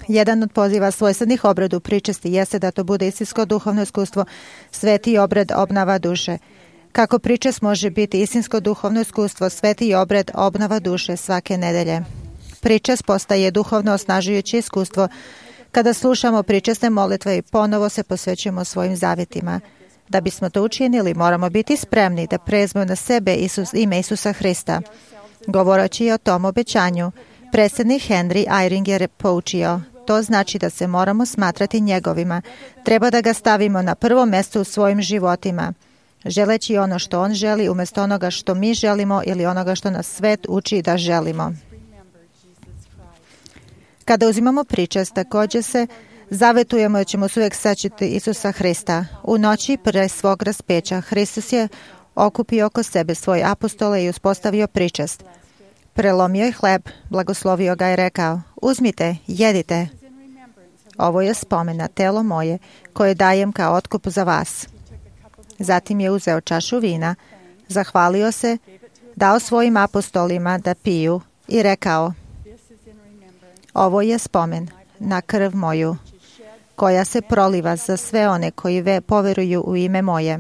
jedan od poziva svojstvenih obradu pričasti jeste da to bude istinsko duhovno iskustvo, sveti obred obnava duše. Kako pričast može biti istinsko duhovno iskustvo, sveti obred obnova duše svake nedelje. Pričast postaje duhovno osnažujuće iskustvo kada slušamo pričasne molitve i ponovo se posvećujemo svojim zavjetima. Da bismo to učinili, moramo biti spremni da preuzmemo na sebe ime Isusa Hrista. Govoreći o tom obećanju, predsjednik Henry Eyring je poučio. To znači da se moramo smatrati njegovima. Treba da ga stavimo na prvo mjesto u svojim životima, želeći ono što on želi umjesto onoga što mi želimo ili onoga što nas svet uči da želimo. Kada uzimamo pričast, također se zavetujemo da ćemo se uvijek sećati Isusa Hrista. U noći pre svog raspeća Hristos je okupio oko sebe svoje apostole i uspostavio pričast. Prelomio je hleb, blagoslovio ga i rekao, uzmite, jedite. Ovo je spomen na telo moje koje dajem kao otkup za vas. Zatim je uzeo čašu vina, zahvalio se, dao svojim apostolima da piju i rekao, ovo je spomen na krv moju, koja se proliva za sve one koji poveruju u ime moje.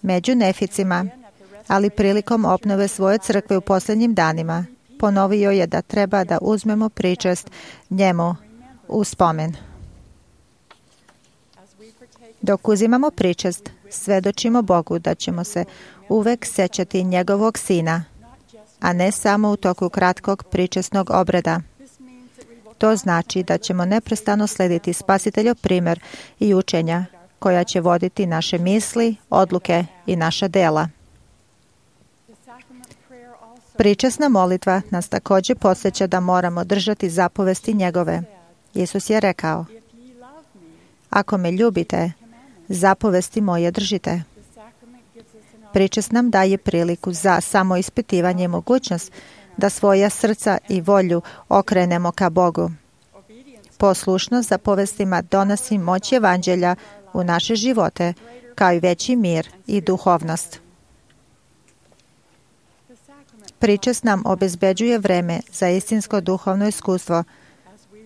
Među Neficima, ali prilikom obnove svoje crkve u posljednjim danima, ponovio je da treba da uzmemo pričast njemu u spomen. Dok uzimamo pričast, svedočimo Bogu da ćemo se uvek sećati njegovog sina, a ne samo u toku kratkog pričasnog obreda. To znači da ćemo neprestano slediti Spasiteljov primjer i učenja koja će voditi naše misli, odluke i naša dela. Pričasna molitva nas također podsjeća da moramo držati zapovesti njegove. Isus je rekao, ako me ljubite, zapovesti moje držite. Pričast nam daje priliku za samoispitivanje i mogućnost da svoja srca i volju okrenemo ka Bogu. Poslušnost zapovestima donosi moć evanđelja u naše živote, kao i veći mir i duhovnost. Pričast nam obezbeđuje vreme za istinsko duhovno iskustvo,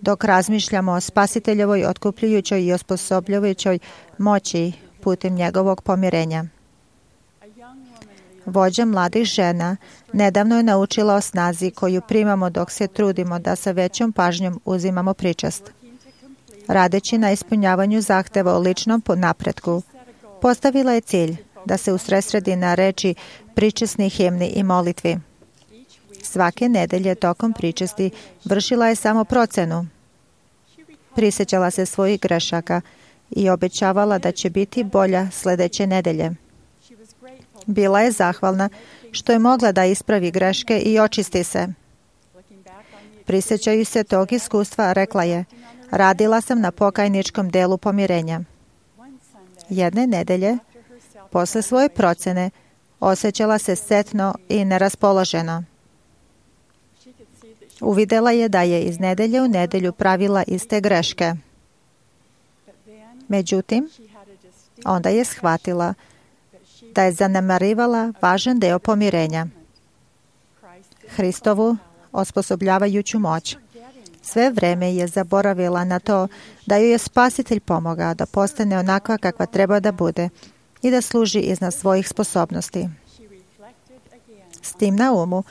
dok razmišljamo o Spasiteljevoj otkupljujućoj i osposobljujućoj moći putem njegovog pomirenja. Vođa mladih žena nedavno je naučila o snazi koju primamo dok se trudimo da sa većom pažnjom uzimamo pričast. Radeći na ispunjavanju zahteva o ličnom napretku, postavila je cilj da se usredsredi na reči pričasnih himni i molitvi. Svake nedelje tokom pričasti vršila je samo procenu. Prisjećala se svojih grešaka i obećavala da će biti bolja sljedeće nedelje. Bila je zahvalna što je mogla da ispravi greške i očisti se. Prisjećaju se tog iskustva, rekla je, radila sam na pokajničkom delu pomirenja. Jedne nedelje, posle svoje procene, osjećala se setno i neraspoloženo. Uvidela je da je iz nedelje u nedelju pravila iste greške. Međutim, onda je shvatila da je zanemarivala važan deo pomirenja, Hristovu osposobljavajuću moć. Sve vreme je zaboravila na to da joj je Spasitelj pomogao da postane onakva kakva treba da bude i da služi iznad svojih sposobnosti. S tim na umu,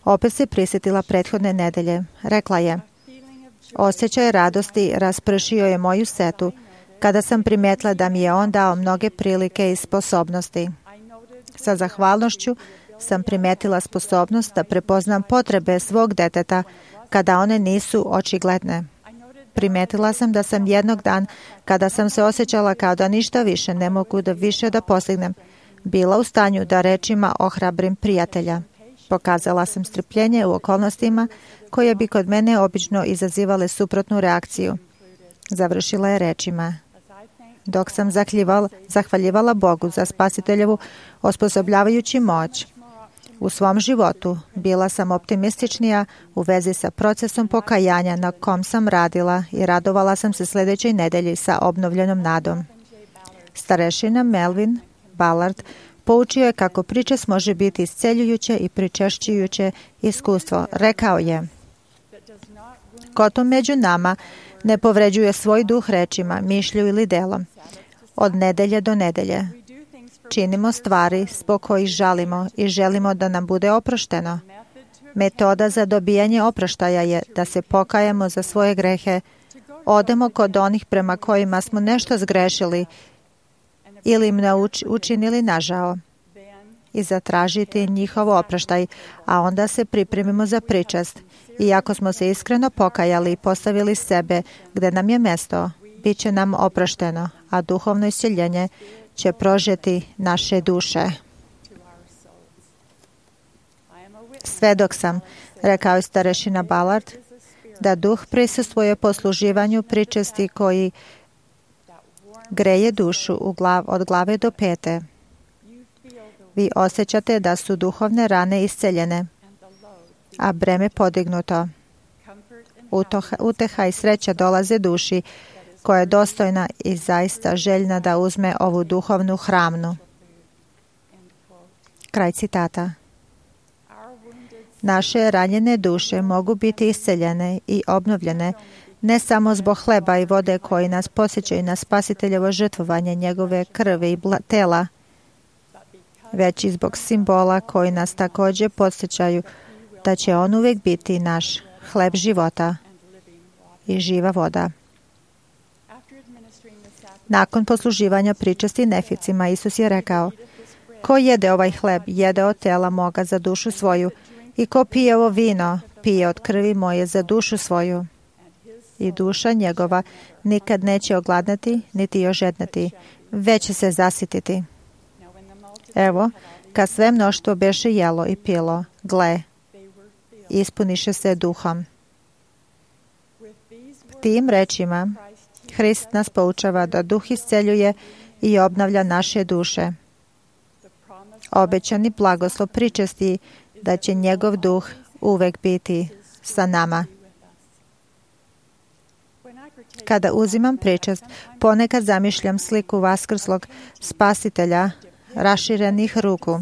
opet se prisjetila prethodne nedelje. Rekla je, osjećaj radosti raspršio je moju setu kada sam primijetila da mi je on dao mnoge prilike i sposobnosti. Sa zahvalnošću sam primijetila sposobnost da prepoznam potrebe svog deteta kada one nisu očigledne. Primijetila sam da sam jednog dan, kada sam se osjećala kao da ništa više ne mogu da više da postignem, bila u stanju da rečima ohrabrim prijatelja. Pokazala sam strpljenje u okolnostima koje bi kod mene obično izazivale suprotnu reakciju. Završila je rečima, dok sam zahvaljivala Bogu za Spasiteljevu osposobljavajući moć, U svom životu bila sam optimističnija u vezi sa procesom pokajanja na kom sam radila i radovala sam se sljedećoj nedelji sa obnovljenom nadom. Starešina Melvin Ballard poučio je kako pričest može biti isceljujuće i pričešćujuće iskustvo. Rekao je: ko to među nama ne povređuje svoj duh rečima, mišlju ili delom, od nedelje do nedelje. Činimo stvari zbog kojih žalimo i želimo da nam bude oprošteno. Metoda za dobijanje oproštaja je da se pokajemo za svoje grehe, odemo kod onih prema kojima smo nešto zgrešili ili im učinili nažao i zatražiti njihov oproštaj, a onda se pripremimo za pričest. I ako smo se iskreno pokajali i postavili sebe gde nam je mesto, bit će nam oprošteno, a duhovno isceljenje će prožeti naše duše. Svedok sam, rekao je starešina Ballard, da duh prisustvuje posluživanju pričesti koji greje dušu od glave do pete. Vi osjećate da su duhovne rane isceljene, a breme podignuto. Uteha i sreća dolaze duši koja je dostojna i zaista željna da uzme ovu duhovnu hranu. Kraj citata. Naše ranjene duše mogu biti isceljene i obnovljene ne samo zbog hleba i vode koji nas podsjećaju na spasiteljevo žrtvovanje njegove krvi i tela, već i zbog simbola koji nas također podsjećaju da će on uvijek biti naš hleb života i živa voda. Nakon posluživanja pričesti neficima, Isus je rekao: ko jede ovaj hleb, jede od tela moga za dušu svoju, i ko pije ovo vino, pije od krvi moje za dušu svoju. I duša njegova nikad neće ogladnati, niti ožednati, već će se zasititi. Evo, kad sve mnoštvo beše jelo i pilo, gle, ispuniše se duhom. Tim rečima Hrist nas poučava da duh isceljuje i obnavlja naše duše. Obećani blagoslov pričesti da će njegov duh uvek biti sa nama. Kada uzimam pričest, ponekad zamišljam sliku vaskrslog spasitelja raširenih ruku,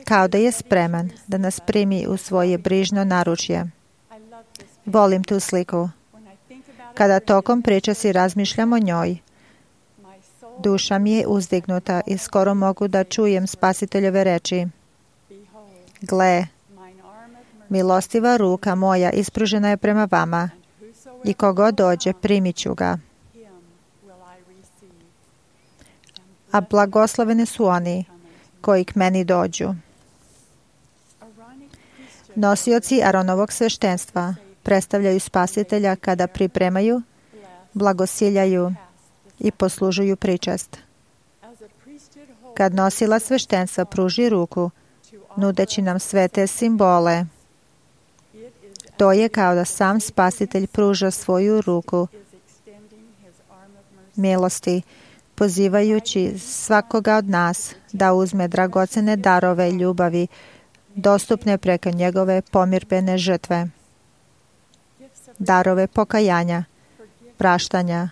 kao da je spreman da nas primi u svoje brižno naručje. Volim tu sliku. Kada tokom pričesti razmišljam o njoj, duša mi je uzdignuta i skoro mogu da čujem spasiteljove reči: gle, milostiva ruka moja ispružena je prema vama i kogo dođe primit ću ga. A blagosloveni su oni koji k meni dođu. Nosioci Aronovog sveštenstva predstavljaju spasitelja kada pripremaju, blagosiljaju i poslužuju pričest. Kad nosila sveštenstva pruži ruku, nudeći nam sve te simbole, to je kao da sam spasitelj pruža svoju ruku milosti, pozivajući svakoga od nas da uzme dragocene darove ljubavi dostupne preko njegove pomirbene žrtve. Darove pokajanja, praštanja,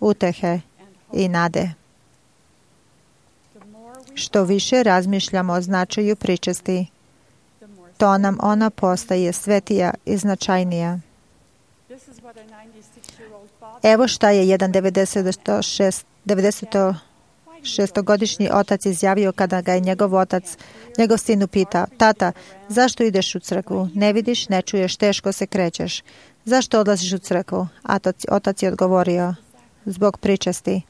utehe i nade. Što više razmišljamo o značaju pričesti, to nam ona postaje svetija i značajnija. Evo šta je jedan 96-godišnji otac izjavio kada ga je njegov sin upitao: tata, zašto ideš u crkvu? Ne vidiš, ne čuješ, teško se krećeš. Zašto odlaziš u crkvu? Otac je odgovorio: zbog pričesti.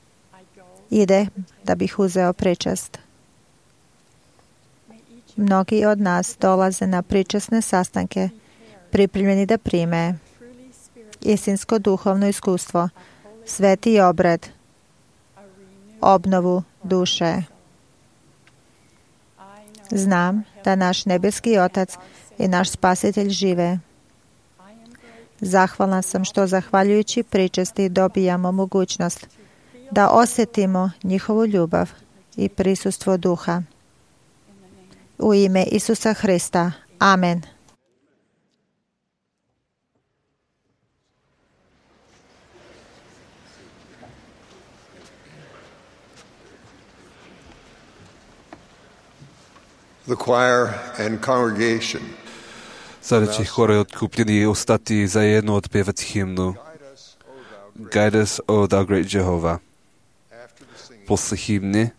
Ide da bih uzeo pričest. Mnogi od nas dolaze na pričesne sastanke, pripremljeni da prime istinsko duhovno iskustvo, sveti obred, obnovu duše. Znam da naš nebeski Otac i naš Spasitelj žive. Zahvalna sam što zahvaljujući pričesti dobijamo mogućnost da osjetimo njihovu ljubav i prisustvo duha. U ime Isusa Hrista. Amen. The choir and congregation. Sada će hor i otkupljeni ostati zajedno otpevati himnu Guide us, O thou great Jehovah. Posle himne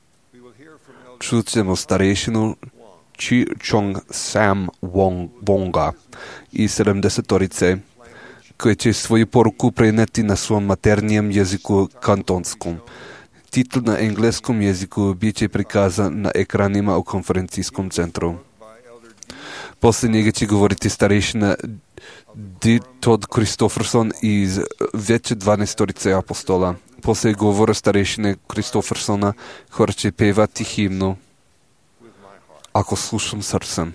čut ćemo starešinu Chi Chong Sam Wonga i 70-torice koje će svoju poruku preneti na svom maternijem jeziku kantonskom. Titl na engleskom jeziku bit će prikazan na ekranima u konferencijskom centru. Posle njega će govoriti starešina D. Todd Christofferson iz veće 12-torice apostola. Posle govora starešine Christoffersona hor će pevati himnu Ako slušam srcem.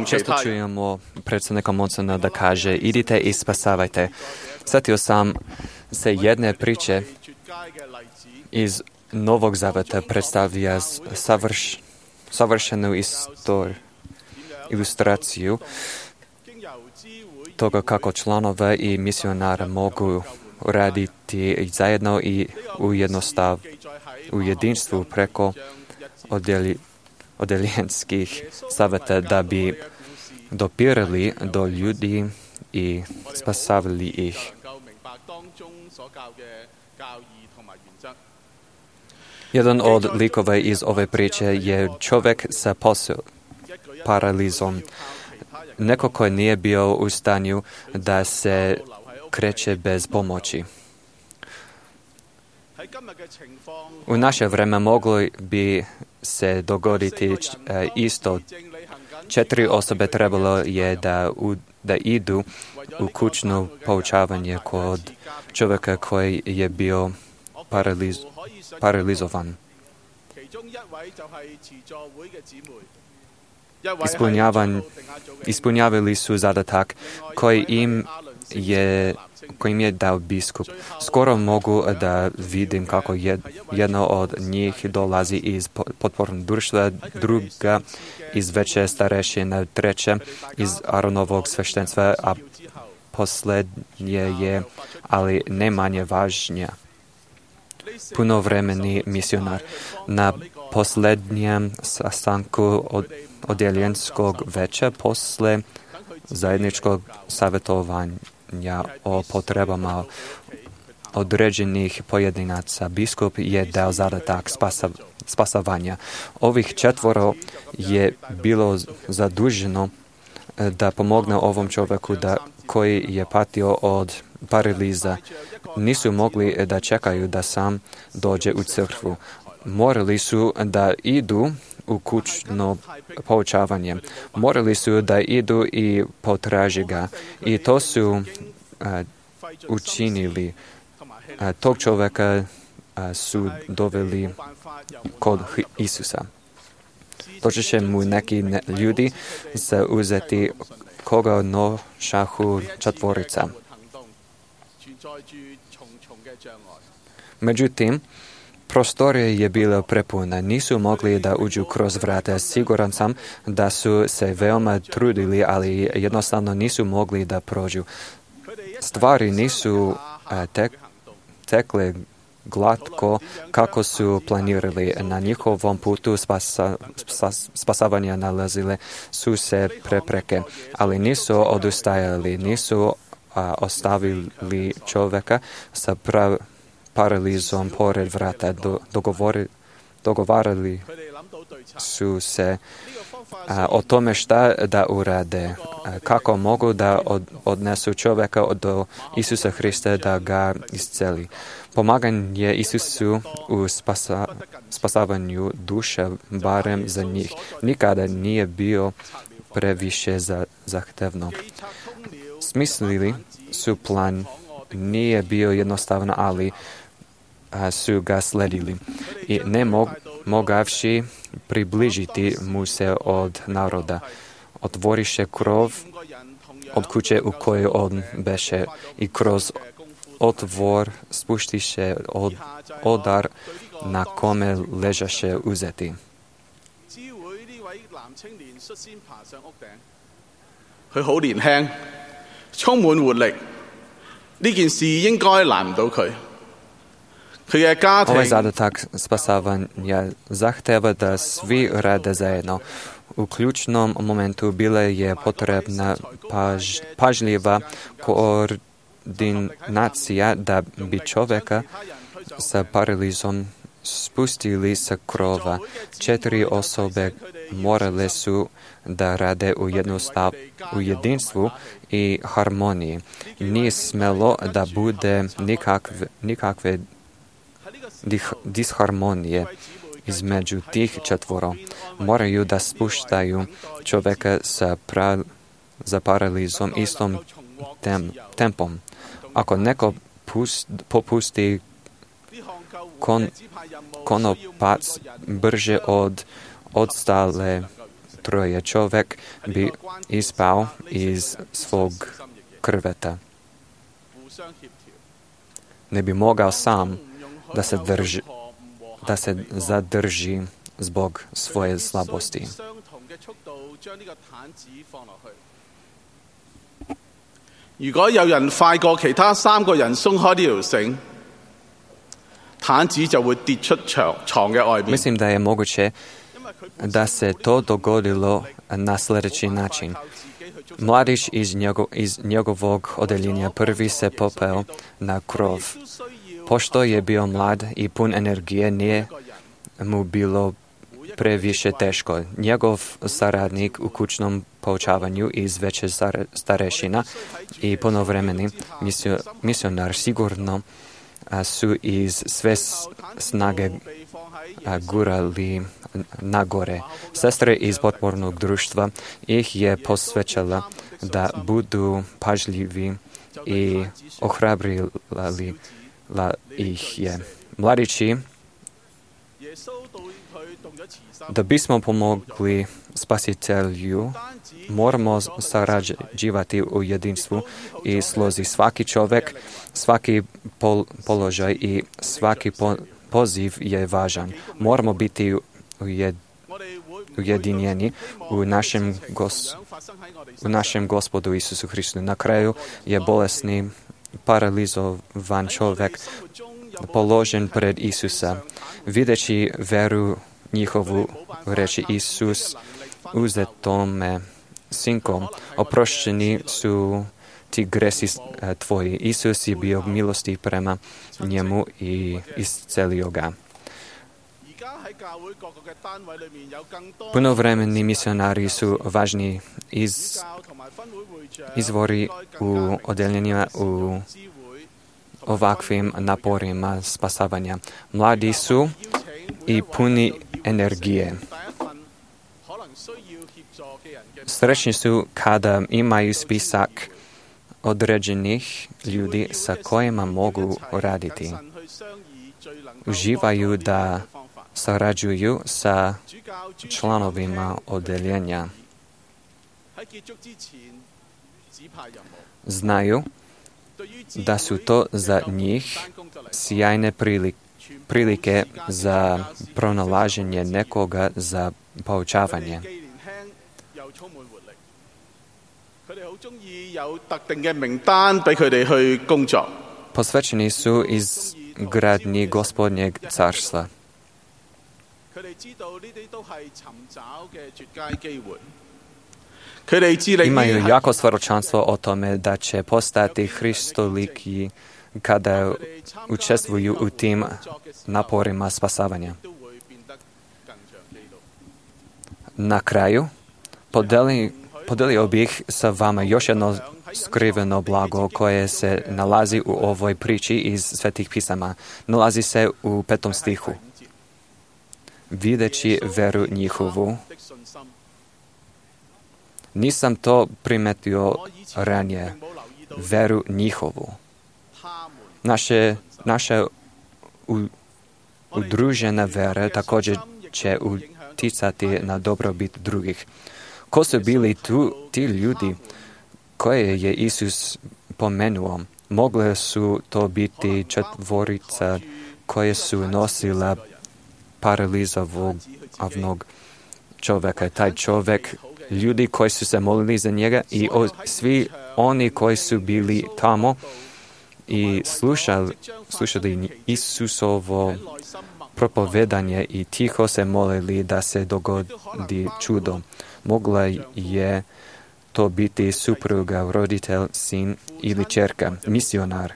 Često čujemo predsjednika Monsona da kaže idite i spasavajte. Sjetio sam se jedne priče iz Novog Zaveta predstavlja savršenu ilustraciju toga kako članove i misionara mogu raditi zajedno i u jedinstvu preko odeljenskih saveta da bi dopirali do ljudi i spasavali ih. Jedan od likova iz ove priče je čovjek sa paralizom. Neko koji nije bio u stanju da se kreće bez pomoći. U naše vreme moglo bi se dogoditi isto. 4 osobe trebalo je da da idu u kućno poučavanje kod čovjeka koji je bio paralizovan. Ispunjavali su zadatak koji im je dao biskup. Skoro mogu da vidim kako jedno od njih dolazi iz potpornog društva, druga iz veće starešine, treće iz Aronovog sveštenstva, a posljednje je, ali ne manje važnije, punovremeni misionar. Na posljednjem sastanku odjeljenskog veća posle zajedničkog savjetovanja o potrebama određenih pojedinaca, biskup je dao zadatak spasavanja. Ovih 4 je bilo zaduženo da pomogne ovom čovjeku koji je patio od paraliza. Nisu mogli da čekaju da sam dođe u crkvu. Morali su da idu u kućno poučavanje. Morali su da idu i potraži ga. I to su učinili. Tog čovjeka su doveli kod Isusa. Doći će mu neki ljudi se uzeti koga nošahu 4. Međutim, prostorija je bila prepuna, nisu mogli da uđu kroz vrata. Siguran sam da su se veoma trudili, ali jednostavno nisu mogli da prođu. Stvari nisu tekle glatko kako su planirali. Na njihovom putu spasavanja nalazile su se prepreke, ali nisu odustajali, nisu ostavili čovjeka sa paralizom pored vrata. Dogovarali su se o tome šta da urade, kako mogu da odnesu čovjeka do Isusa Hrista da ga isceli. Pomaganje Isusu u spasavanju duše, barem za njih, nikada nije bio previše zahtevno. Smislili su plan, nije bio jednostavan, ali su ga sledili. I ne mogavši približiti mu se od naroda. Otvoriše krov od kuće u kojoj on beše i kroz otvor spuštiše odar na kome ležaše uzeti. 佢好年輕，充滿活力，呢件事應該難唔到佢。佢嘅家庭 Ovaj zadatak spasavanja zahteva da svi rade zajedno. U ključnom momentu bila je potrebna pažljiva koordinacija da bi čovjeka sa paralizom spustili sa krova. 4 osobe morale su da rade u jedinstvu i harmoniji. Nije smelo da bude nikakve disharmonije između tih 4. Moraju da spuštaju čovjeka za paralizom istom tempom. Ako neko popusti konopac brže od odstale 3, čovjek bi ispao iz svog krveta. Ne bi mogao sam da se zadrži zbog svoje slabosti. 如果有人快過其他3個人鬆開呢條繩，毯子就會跌出床嘅外面。 Mislim da je moguće da se to dogodilo na sljedeći način. Mladić iz njegovog odeljenja prvi se popeo na krov. Pošto je bio mlad i pun energije, nije mu bilo previše teško. Njegov saradnik u kućnom poučavanju iz veće starešina i punovremeni misionar sigurno su iz sve snage gurali nagore. Sestre iz potpornog društva ih je posvećala da budu pažljivi i ohrabrila ih je. Mladići, da bismo pomogli Spasitelju, moramo sarađivati u jedinstvu i slozi. Svaki čovjek, svaki položaj i svaki poziv je važan. Moramo biti ujedinjeni u našem Gospodu Isusu Hristu. Na kraju je bolesni, paralizovan čovjek položen pred Isusa. Videći veru njihovu, reći Isus, uzetome sinkom, oprošćeni su ti gresi tvoji. Isus je bio milosti prema njemu i iscelio ga. Punovremeni misionari su važni izvori u odeljenjima u ovakvim naporima spasavanja. Mladi su i puni energije. Srećni su kada imaju spisak određenih ljudi sa kojima mogu raditi. Uživaju da sarađuju sa članovima odeljenja. Znaju da su to za njih sjajne prilike za pronalaženje nekoga za poučavanje. Posvećeni su izgradnji Gospodnjeg carstva. Imaju jako svjedočanstvo o tome da će postati Hristoliki kada učestvuju u tim naporima spasavanja. Na kraju, podelio bih sa vama još jedno skriveno blago koje se nalazi u ovoj priči iz Svetih pisama. Nalazi se u 5. stihu. Videći veru njihovu. Nisam to primetio ranije. Veru njihovu. Naša udružena vera također će uticati na dobrobit drugih. Ko su bili ti ljudi koje je Isus pomenuo? Mogle su to biti četvorica koje su nosila paralizovanog čovjeka. Taj čovjek, ljudi koji su se molili za njega i svi oni koji su bili tamo i slušali Isusovo propovedanje i tiho se molili da se dogodi čudo. Mogla je to biti supruga, roditelj, sin ili ćerka, misionar,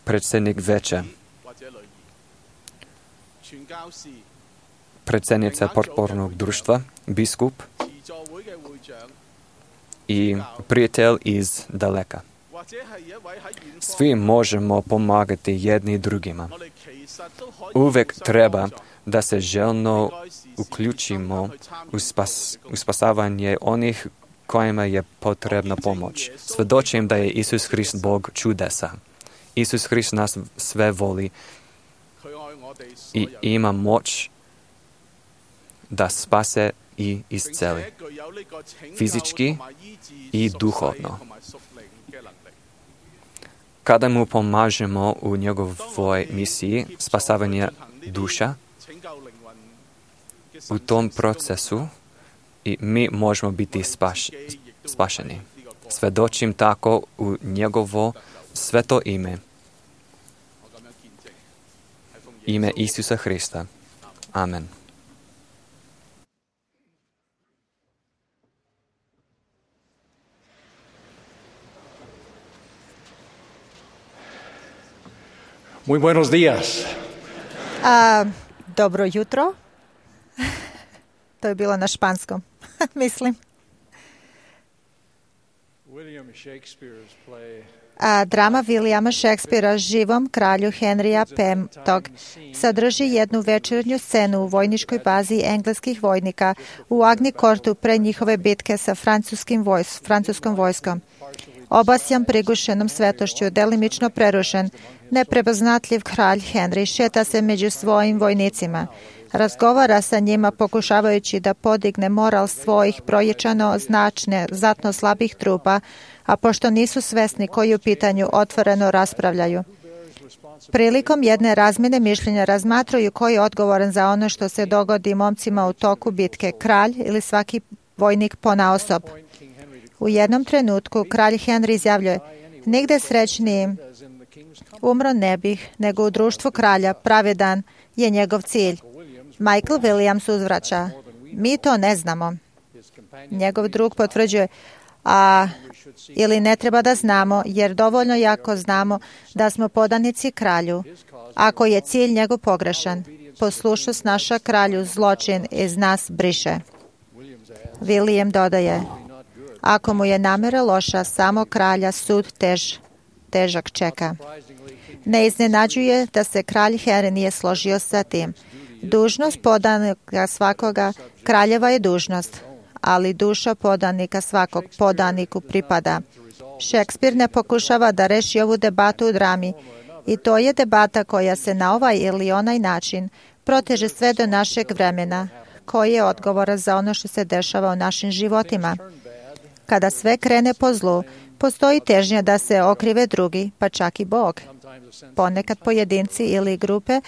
predsjednik veća, predsjednica potpornog društva, biskup i prijatelj iz daleka. Svi možemo pomagati jedni drugima. Uvijek treba da se željno uključimo u spasavanje onih kojima je potrebna pomoć. Svjedočim da je Isus Hrist Bog čudesa. Isus Hrist nas sve voli i ima moć da spase i isceli. Fizički i duhovno. Kada mu pomažemo u njegovoj misiji spasavanja duša, u tom procesu i mi možemo biti spašeni. Svjedočim tako u njegovo sveto ime. Ime Isusa Hrista. Amen. Muy buenos días. Dobro jutro. To je bilo na španskom, mislim. William Shakespeare's play Drama Williama Šekspira Živom kralju Henrija V. sadrži jednu večernju scenu u vojničkoj bazi engleskih vojnika u Agnikortu pre njihove bitke sa francuskom vojskom. Obasjan prigušenom svetošću, delimično prerušen, neprepoznatljiv kralj Henry šeta se među svojim vojnicima. Razgovara sa njima pokušavajući da podigne moral svojih proječano znatno slabih trupa, a pošto nisu svesni koji u pitanju otvoreno raspravljaju. Prilikom jedne razmjene mišljenja razmatraju koji je odgovoran za ono što se dogodi momcima u toku bitke, kralj ili svaki vojnik ponaosob. U jednom trenutku kralj Henry izjavljuje: "Nigde srećnijim umro ne bih, nego u društvu kralja, pravedan je njegov cilj." Michael Williams uzvraća: "Mi to ne znamo." Njegov drug potvrđuje: ili ne treba da znamo, jer dovoljno jako znamo da smo podanici kralju. Ako je cilj njegov pogrešan, poslušnost naša kralju zločin iz nas briše." William dodaje: "Ako mu je namera loša, samo kralja sud težak čeka." Ne iznenađuje da se kralj Henry nije složio sa tim. Dužnost podanika svakoga kraljeva je dužnost, ali duša podanika svakog podaniku pripada. Šekspir ne pokušava da reši ovu debatu u drami, i to je debata koja se na ovaj ili onaj način proteže sve do našeg vremena, koji je odgovoran za ono što se dešava u našim životima. Kada sve krene po zlu, postoji težnja da se okrive drugi, pa čak i Bog. Ponekad pojedinci ili grupe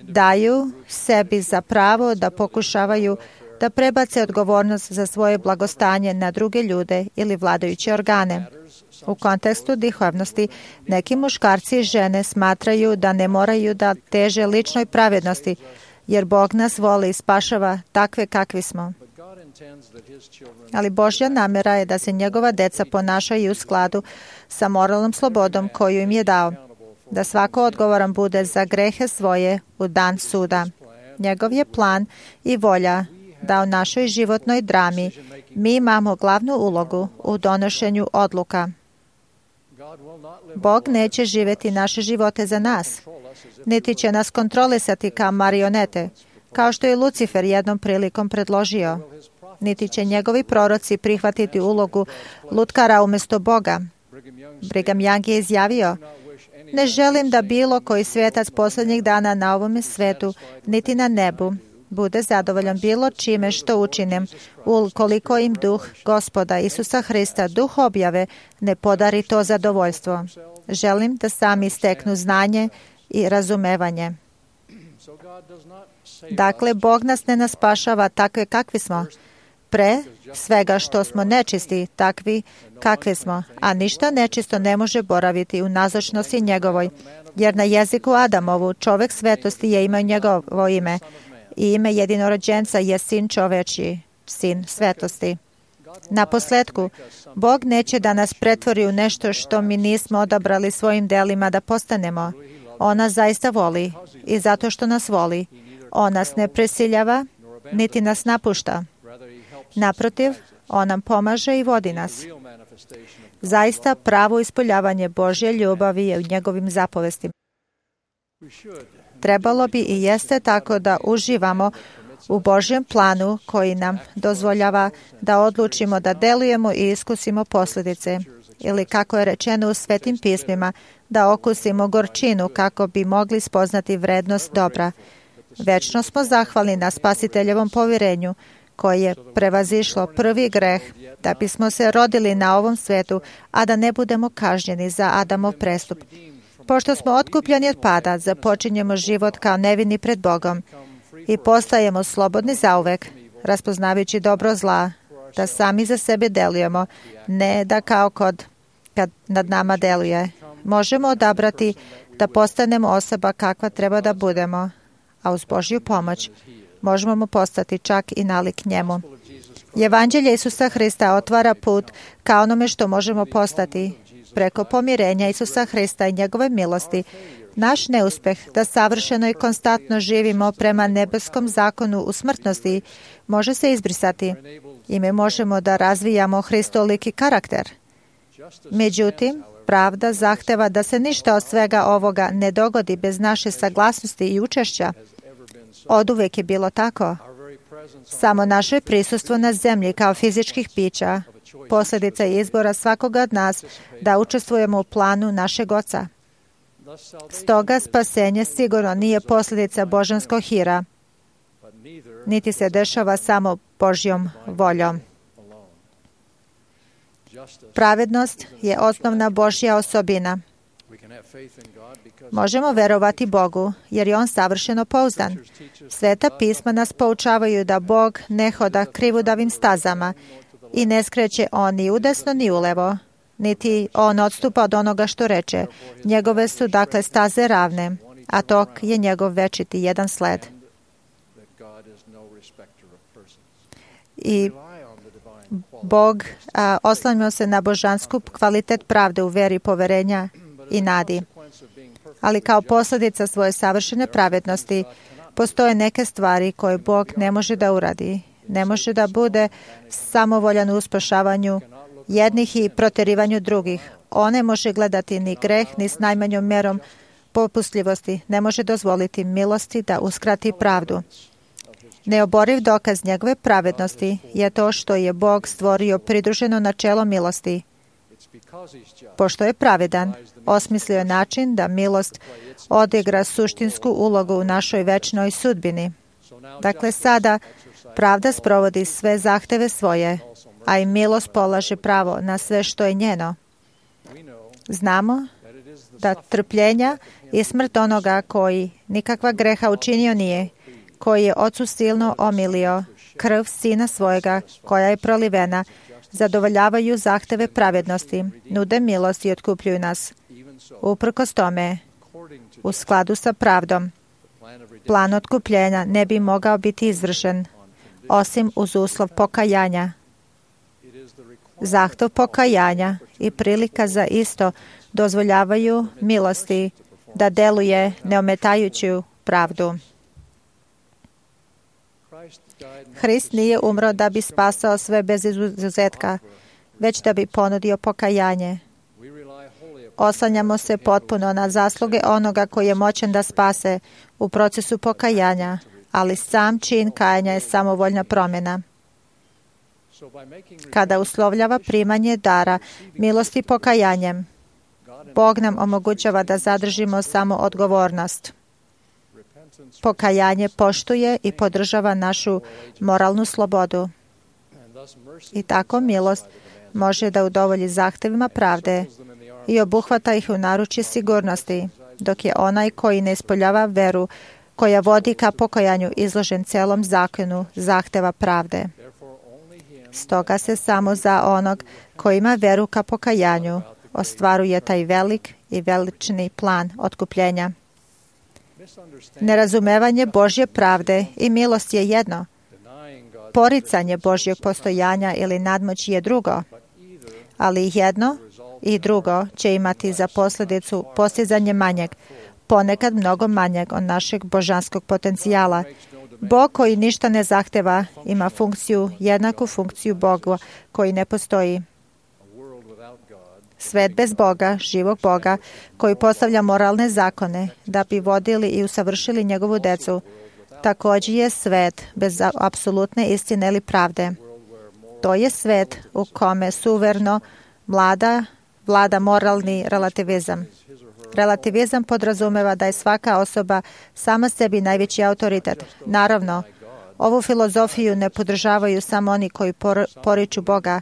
daju sebi za pravo da pokušavaju da prebace odgovornost za svoje blagostanje na druge ljude ili vladajuće organe. U kontekstu duhovnosti, neki muškarci i žene smatraju da ne moraju da teže ličnoj pravednosti, jer Bog nas voli i spašava takve kakvi smo. Ali Božja namera je da se njegova deca ponašaju u skladu sa moralnom slobodom koju im je dao, da svako odgovoran bude za grehe svoje u dan suda. Njegov je plan i volja da u našoj životnoj drami mi imamo glavnu ulogu u donošenju odluka. Bog neće živjeti naše živote za nas, niti će nas kontrolisati kao marionete, kao što je Lucifer jednom prilikom predložio. Niti će njegovi proroci prihvatiti ulogu lutkara umjesto Boga. Brigham Young je izjavio: "Ne želim da bilo koji svetac posljednjih dana na ovome svetu, niti na nebu, bude zadovoljan bilo čime što učinim, ukoliko im duh Gospoda Isusa Hrista, duh objave, ne podari to zadovoljstvo. Želim da sami steknu znanje i razumevanje." Dakle, Bog nas ne naspašava takve kakvi smo, pre svega što smo nečisti, takvi kakvi smo, a ništa nečisto ne može boraviti u nazočnosti njegovoj, jer na jeziku Adamovu čovek svetosti je imao njegovo ime, i ime jedinorođenca je sin čovečji, sin svetosti. Na posledku, Bog neće da nas pretvori u nešto što mi nismo odabrali svojim delima da postanemo. On nas zaista voli, i zato što nas voli, on nas ne prisiljava, niti nas napušta. Naprotiv, on nam pomaže i vodi nas. Zaista pravo ispoljavanje Božje ljubavi je u njegovim zapovestima. Trebalo bi i jeste tako da uživamo u Božjem planu koji nam dozvoljava da odlučimo da delujemo i iskusimo posljedice, ili kako je rečeno u Svetim pismima, da okusimo gorčinu kako bi mogli spoznati vrednost dobra. Večno smo zahvalni na Spasiteljevom povjerenju koje je prevazišlo prvi greh, da bismo se rodili na ovom svetu, a da ne budemo kažnjeni za Adamov prestup. Pošto smo otkupljeni od pada, započinjemo život kao nevini pred Bogom i postajemo slobodni zauvek, raspoznavajući dobro zla, da sami za sebe delujemo, ne da kao kad nad nama deluje. Možemo odabrati da postanemo osoba kakva treba da budemo, a uz Božju pomoć možemo mu postati čak i nalik njemu. Evanđelje Isusa Hrista otvara put ka onome što možemo postati. Preko pomirenja Isusa Hrista i njegove milosti, naš neuspeh da savršeno i konstantno živimo prema nebeskom zakonu u smrtnosti može se izbrisati i mi možemo da razvijamo Hristoliki karakter. Međutim, pravda zahteva da se ništa od svega ovoga ne dogodi bez naše saglasnosti i učešća. Oduvek je bilo tako. Samo naše prisustvo na zemlji kao fizičkih bića posljedica je izbora svakoga od nas da učestvujemo u planu našeg Oca. Stoga spasenje sigurno nije posljedica božanskog hira, niti se dešava samo Božjom voljom. Pravednost je osnovna Božja osobina. Možemo verovati Bogu, jer je On savršeno pouzdan. Sveta pisma nas poučavaju da Bog ne hoda krivudavim stazama i ne skreće On ni udesno ni ulevo, niti On odstupa od onoga što reče. Njegove su dakle staze ravne, a tok je njegov večiti jedan sled. I Bog oslanjamo se na božansku kvalitet pravde u veri, poverenja i nadi. Ali kao posljedica svoje savršene pravednosti postoje neke stvari koje Bog ne može da uradi. Ne može da bude samovoljan u spašavanju jednih i proterivanju drugih. On ne može gledati ni greh, ni s najmanjom mjerom popustljivosti. Ne može dozvoliti milosti da uskrati pravdu. Neoboriv dokaz njegove pravednosti je to što je Bog stvorio pridruženo načelo milosti. Pošto je pravedan, osmislio je način da milost odigra suštinsku ulogu u našoj večnoj sudbini. Dakle, sada pravda sprovodi sve zahteve svoje, a i milost polaže pravo na sve što je njeno. Znamo da trpljenja i smrt onoga koji nikakva greha učinio nije, koji je Ocu silno omilio, krv Sina svojega koja je prolivena, zadovoljavaju zahteve pravednosti, nude milost i otkupljuju nas. Uprkos tome, u skladu sa pravdom, plan otkupljenja ne bi mogao biti izvršen, osim uz uslov pokajanja. Zahtjev pokajanja i prilika za isto dozvoljavaju milosti da deluje neometajuću pravdu. Hrist nije umro da bi spasao sve bez izuzetka, već da bi ponudio pokajanje. Oslanjamo se potpuno na zasluge onoga koji je moćan da spase u procesu pokajanja, ali sam čin kajanja je samovoljna promjena. Kada uslovljava primanje dara milosti pokajanjem, Bog nam omogućava da zadržimo samo odgovornost. Pokajanje poštuje i podržava našu moralnu slobodu. I tako milost može da udovolji zahtevima pravde i obuhvata ih u naručje sigurnosti, dok je onaj koji ne ispoljava veru koja vodi ka pokajanju izložen celom zakonu zahteva pravde. Stoga se samo za onog koji ima veru ka pokajanju ostvaruje taj velik i velični plan otkupljenja. Nerazumevanje Božje pravde i milost je jedno. Poricanje Božjeg postojanja ili nadmoći je drugo. Ali jedno i drugo će imati za posljedicu postizanje manjeg, ponekad mnogo manjeg od našeg božanskog potencijala. Bog koji ništa ne zahteva ima jednaku funkciju Boga koji ne postoji. Svet bez Boga, živog Boga, koji postavlja moralne zakone da bi vodili i usavršili njegovu decu, također je svet bez apsolutne istine ili pravde. To je svet u kome suverno vlada moralni relativizam. Relativizam podrazumeva da je svaka osoba sama sebi najveći autoritet. Naravno, ovu filozofiju ne podržavaju samo oni koji poriču Boga.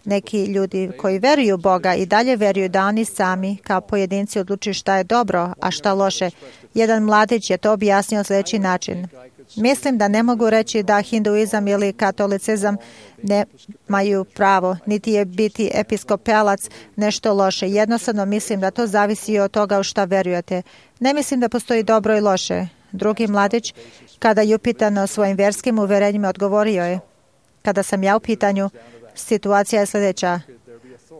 Neki ljudi koji veruju u Boga i dalje veruju da oni sami kao pojedinci odlučuju šta je dobro, a šta loše. Jedan mladić je to objasnio sljedeći način. Mislim da ne mogu reći da hinduizam ili katolicizam nemaju pravo, niti je biti episkopalac nešto loše. Jednostavno mislim da to zavisi od toga u šta verujete. Ne mislim da postoji dobro i loše. Drugi mladić, kada je upitan o svojim vjerskim uverenjima, odgovorio je: kada sam ja u pitanju, situacija je sljedeća.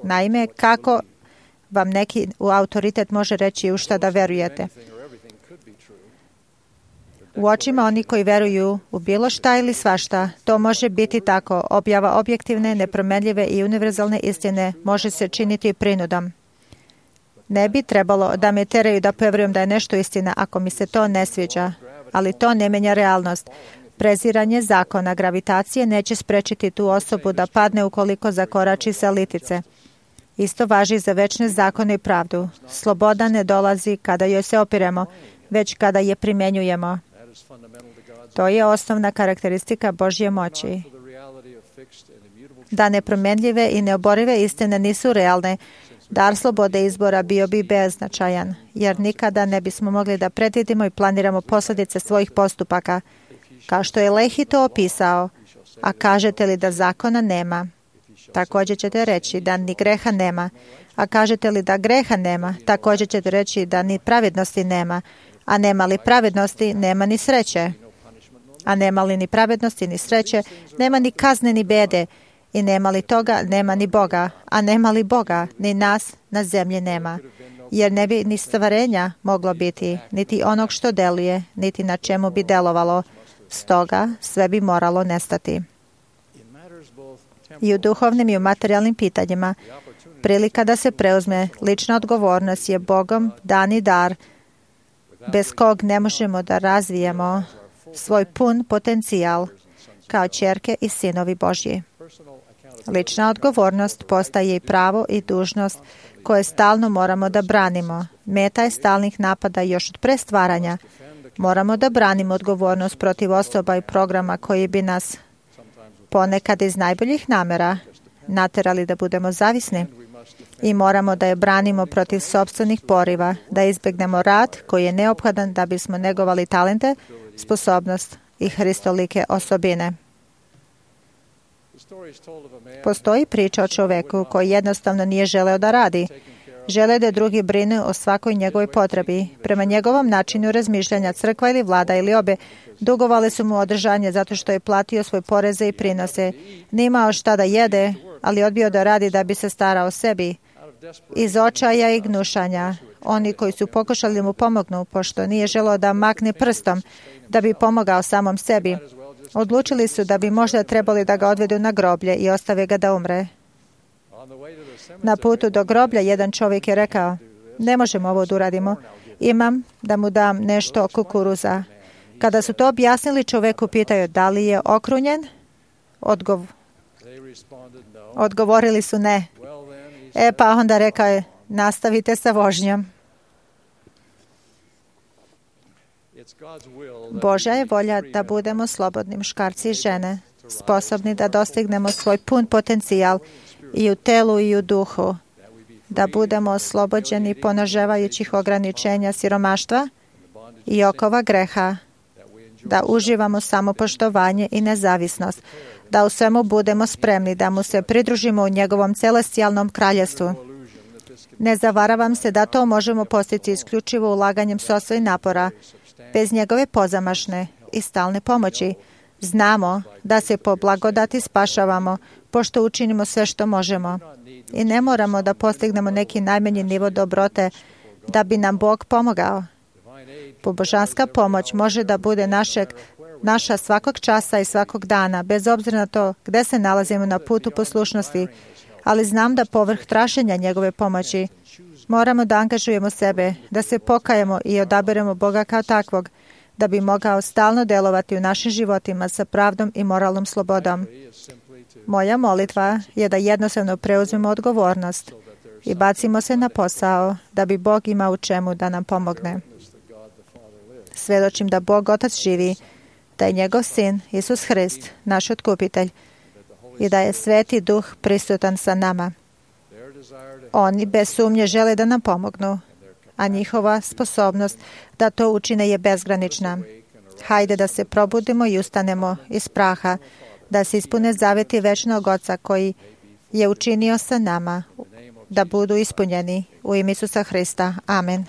Naime, kako vam neki autoritet može reći u šta da verujete? U očima oni koji veruju u bilo šta ili svašta, to može biti tako. Objava objektivne, nepromenljive i univerzalne istine može se činiti prinudom. Ne bi trebalo da me teraju da poverujem da je nešto istina ako mi se to ne sviđa, ali to ne menja realnost. Preziranje zakona gravitacije neće sprečiti tu osobu da padne ukoliko zakorači sa litice. Isto važi za večne zakone i pravdu. Sloboda ne dolazi kada joj se opiremo, već kada je primjenjujemo. To je osnovna karakteristika Božje moći. Da nepromenljive i neoborive istine nisu realne, dar slobode izbora bio bi beznačajan, jer nikada ne bismo mogli da predvidimo i planiramo posljedice svojih postupaka. Kao što je Lehi to opisao, a kažete li da zakona nema, također ćete reći da ni greha nema. A kažete li da greha nema, također ćete reći da ni pravednosti nema. A nema li pravednosti, nema ni sreće. A nema li ni pravednosti, ni sreće, nema ni kazne, ni bede. I nema li toga, nema ni Boga. A nema li Boga, ni nas na zemlji nema. Jer ne bi ni stvarenja moglo biti, niti onog što deluje, niti na čemu bi delovalo. Stoga sve bi moralo nestati. I u duhovnim i u materijalnim pitanjima, prilika da se preuzme lična odgovornost je Bogom dani dar, bez kog ne možemo da razvijemo svoj pun potencijal kao ćerke i sinovi Božji. Lična odgovornost postaje i pravo i dužnost koje stalno moramo da branimo. Meta je stalnih napada još od prestvaranja. Moramo da branimo odgovornost protiv osoba i programa koji bi nas ponekad iz najboljih namera naterali da budemo zavisni. I moramo da je branimo protiv sopstvenih poriva, da izbjegnemo rad koji je neophodan da bismo negovali talente, sposobnost i hristolike osobine. Postoji priča o čoveku koji jednostavno nije želeo da radi. Žele da drugi brinu o svakoj njegovoj potrebi. Prema njegovom načinu razmišljanja, crkva ili vlada ili obe dugovali su mu održanje zato što je platio svoje poreze i prinose. Nije imao šta da jede, ali odbio da radi da bi se starao o sebi. Iz očaja i gnušanja, oni koji su pokušali mu pomognu, pošto nije želeo da makne prstom, da bi pomogao samom sebi, odlučili su da bi možda trebali da ga odvedu na groblje i ostave ga da umre. Na putu do groblja jedan čovjek je rekao, ne možemo ovo da uradimo, imam da mu dam nešto kukuruza. Kada su to objasnili, čovjeku pitaju da li je okrunjen? Odgovorili su ne. Pa onda rekao je, nastavite sa vožnjom. Božja je volja da budemo slobodni muškarci i žene, sposobni da dostignemo svoj pun potencijal i u telu i u duhu, da budemo oslobođeni ponažavajućih ograničenja siromaštva i okova greha, da uživamo samopoštovanje i nezavisnost, da u svemu budemo spremni da mu se pridružimo u njegovom celestijalnom kraljevstvu. Ne zavaravam se da to možemo postići isključivo ulaganjem sopstvenih napora, bez njegove pozamašne i stalne pomoći. Znamo da se po blagodati spašavamo, pošto učinimo sve što možemo. I ne moramo da postignemo neki najmanji nivo dobrote da bi nam Bog pomogao. Božanska pomoć može da bude naša svakog časa i svakog dana, bez obzira na to gde se nalazimo na putu poslušnosti, ali znam da povrh traženja njegove pomoći moramo da angažujemo sebe, da se pokajemo i odaberemo Boga kao takvog, da bi mogao stalno delovati u našim životima sa pravdom i moralnom slobodom. Moja molitva je da jednostavno preuzmemo odgovornost i bacimo se na posao da bi Bog imao u čemu da nam pomogne. Svedočim da Bog Otac živi, da je njegov Sin, Isus Hrist, naš otkupitelj, i da je Sveti Duh prisutan sa nama. Oni bez sumnje žele da nam pomognu, a njihova sposobnost da to učine je bezgranična. Hajde da se probudimo i ustanemo iz praha, da se ispune zaveti večnog Oca koji je učinio sa nama, da budu ispunjeni u ime Isusa Hrista. Amen.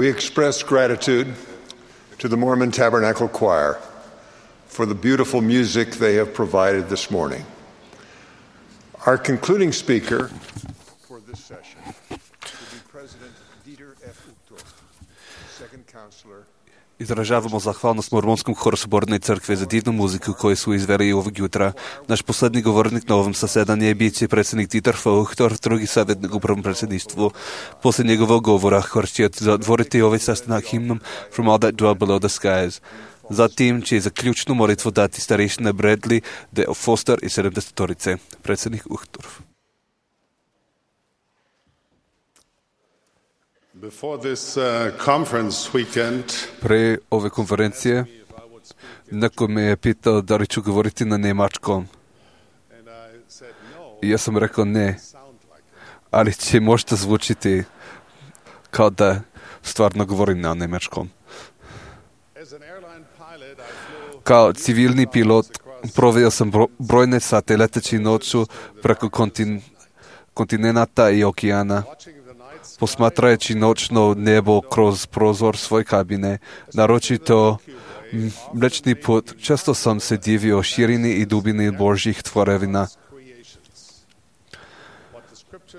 We express gratitude to the Mormon Tabernacle Choir for the beautiful music they have provided this morning. Our concluding speaker for this session will be President Dieter F. Uchtdorf, second counselor. Izražavamo zahvalnost Mormonskom horu Соборной crkve za divnu muziku koju su izveli ovog jutra. Naš poslednji govornik na ovom zasedanju bit će predsjednik Dieter F. Uchtdorf, drugi savjetnik u prvom predsjedništvu. Poslije njegovog govora hor će zatvoriti ovaj sastanak himnom From All That Dwell Below the Skies. Zatim će za ključnu molitvu dati starešina Bradley, Dale Foster i 70-torice. Predsjednik Uchtdorf. Pre ove konferencije neko me je pitao da li ću govoriti na nemačkom. I ja sam rekao ne, ali će možda zvučiti kao da stvarno govorim na nemačkom. Kao civilni pilot proveo sam brojne sate leteći noću preko kontinenta i okeana, posmatrajući noćno nebo kroz prozor svoje kabine, naročito Mlečni put. Često sam se divio širini i dubini Božjih tvorevina,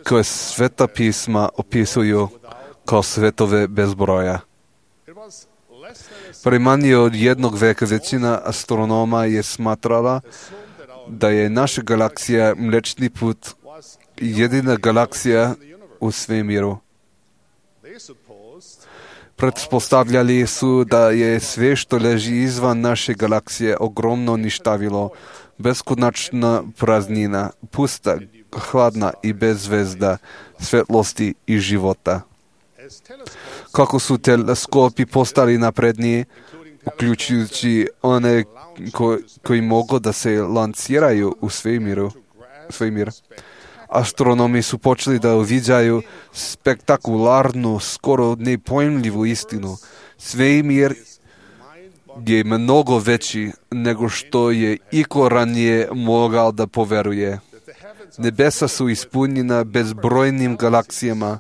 koje sveta pisma opisuju kao svetove bez broja. Pre manje od jednog veka većina astronoma je smatrala da je naša galaksija Mlečni put jedina galaksija u svemiru. Pretpostavljali su da je sve što leži izvan naše galaksije ogromno ništavilo, beskonačna praznina, pusta, hladna i bez zvezda, svetlosti i života. Kako su teleskopi postali napredniji, uključujući one koji mogu da se lanciraju u svemir, astronomi su počeli da uviđaju spektakularnu, skoro nepojmljivu istinu. Svemir je mnogo veći nego što je iko ranije mogao da poveruje. Nebesa su ispunjena bezbrojnim galaksijama,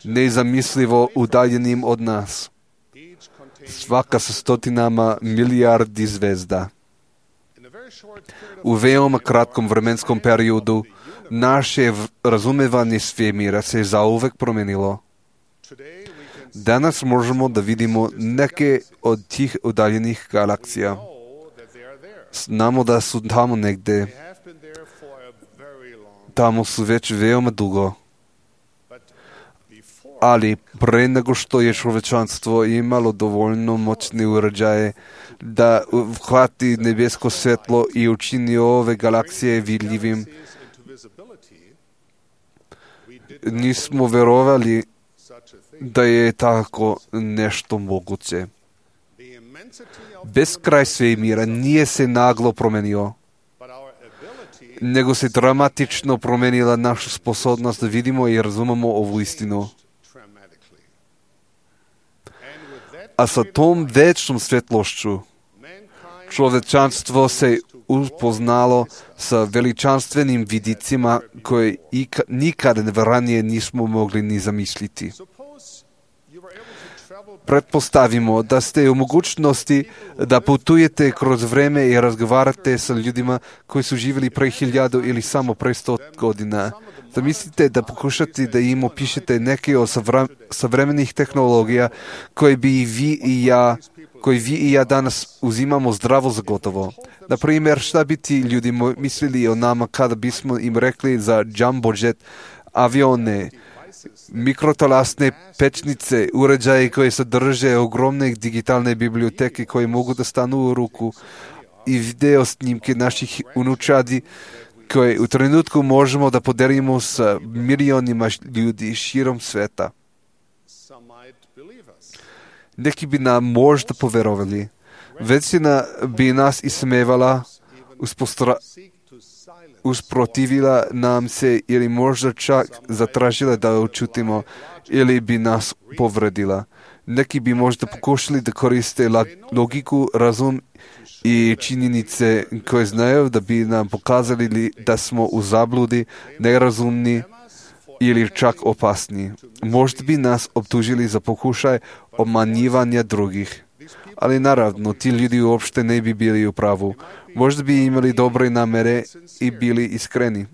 nezamislivo udaljenim od nas. Svaka sa stotinama milijardi zvezda. U veoma kratkom vremenskom periodu naše razumevanje svemira se zauvek promenilo. Danas možemo da vidimo neke od tih udaljenih galaksija. Znamo da su tamo negde. Tamo su već veoma dugo. Ali pre nego što je čovečanstvo imalo dovoljno moćne uređaje da hvati nebesko svetlo i učini ove galaksije vidljivim, nismo verovali da je tako nešto moguće. Beskraj svemira nije se naglo promenio, nego se dramatično promenila naša sposobnost da vidimo i razumemo ovu istinu. A sa tom večnom svetlošću čovečanstvo se upoznalo sa veličanstvenim vidicima koje nikad ranije nismo mogli ni zamisliti. Pretpostavimo da ste u mogućnosti da putujete kroz vreme i razgovarate sa ljudima koji su živjeli pre 1000 ili samo pre 100 godina. Zamislite da pokušate da im opišete neke od savremenih tehnologija koje bi vi i ja danas uzimamo zdravo za gotovo. Na primjer, šta bi ti ljudi mislili o nama kada bismo im rekli za jumbo jet avione, mikrotalasne pečnice, uređaje koje sadrže ogromne digitalne biblioteke koje mogu da stanu u ruku i video snimke naših unučadi koje u trenutku možemo da podelimo sa milionima ljudi širom sveta. Neki bi nam možda poverovali. Većina bi nas ismevala, usprotivila nam se ili možda čak zatražila da učutimo ili bi nas povredila. Neki bi možda pokušali da koriste logiku, razum i činjenice koje znaju da bi nam pokazali da smo u zabludi, nerazumni, ili čak opasni. Možda bi nas optužili za pokušaj obmanjivanja drugih. Ali naravno, ti ljudi uopšte ne bi bili u pravu. Možda bi imali dobre namere i bili iskreni.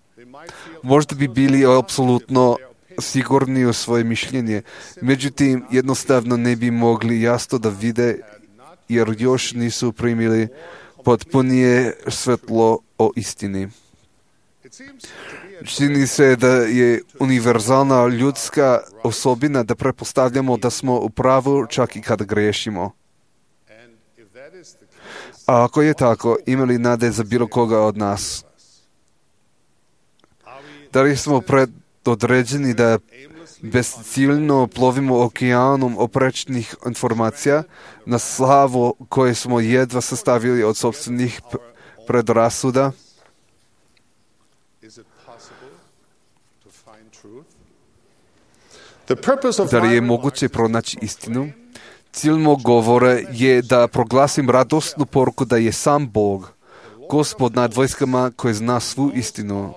Možda bi bili apsolutno sigurni u svoje mišljenje. Međutim, jednostavno ne bi mogli jasno da vide jer još nisu primili potpunije svetlo o istini. Čini se da je univerzalna ljudska osobina da prepostavljamo da smo u pravu čak i kada grešimo. A ako je tako, ima li nade za bilo koga od nas? Da li smo predodređeni da bezciljno plovimo okeanom oprečnih informacija na slavu koje smo jedva sastavili od sopstvenih predrasuda? Da li je moguće pronaći istinu? Cilj mog govora je da proglasim radosnu poruku da je sam Bog, Gospod nad vojskama koji zna svu istinu,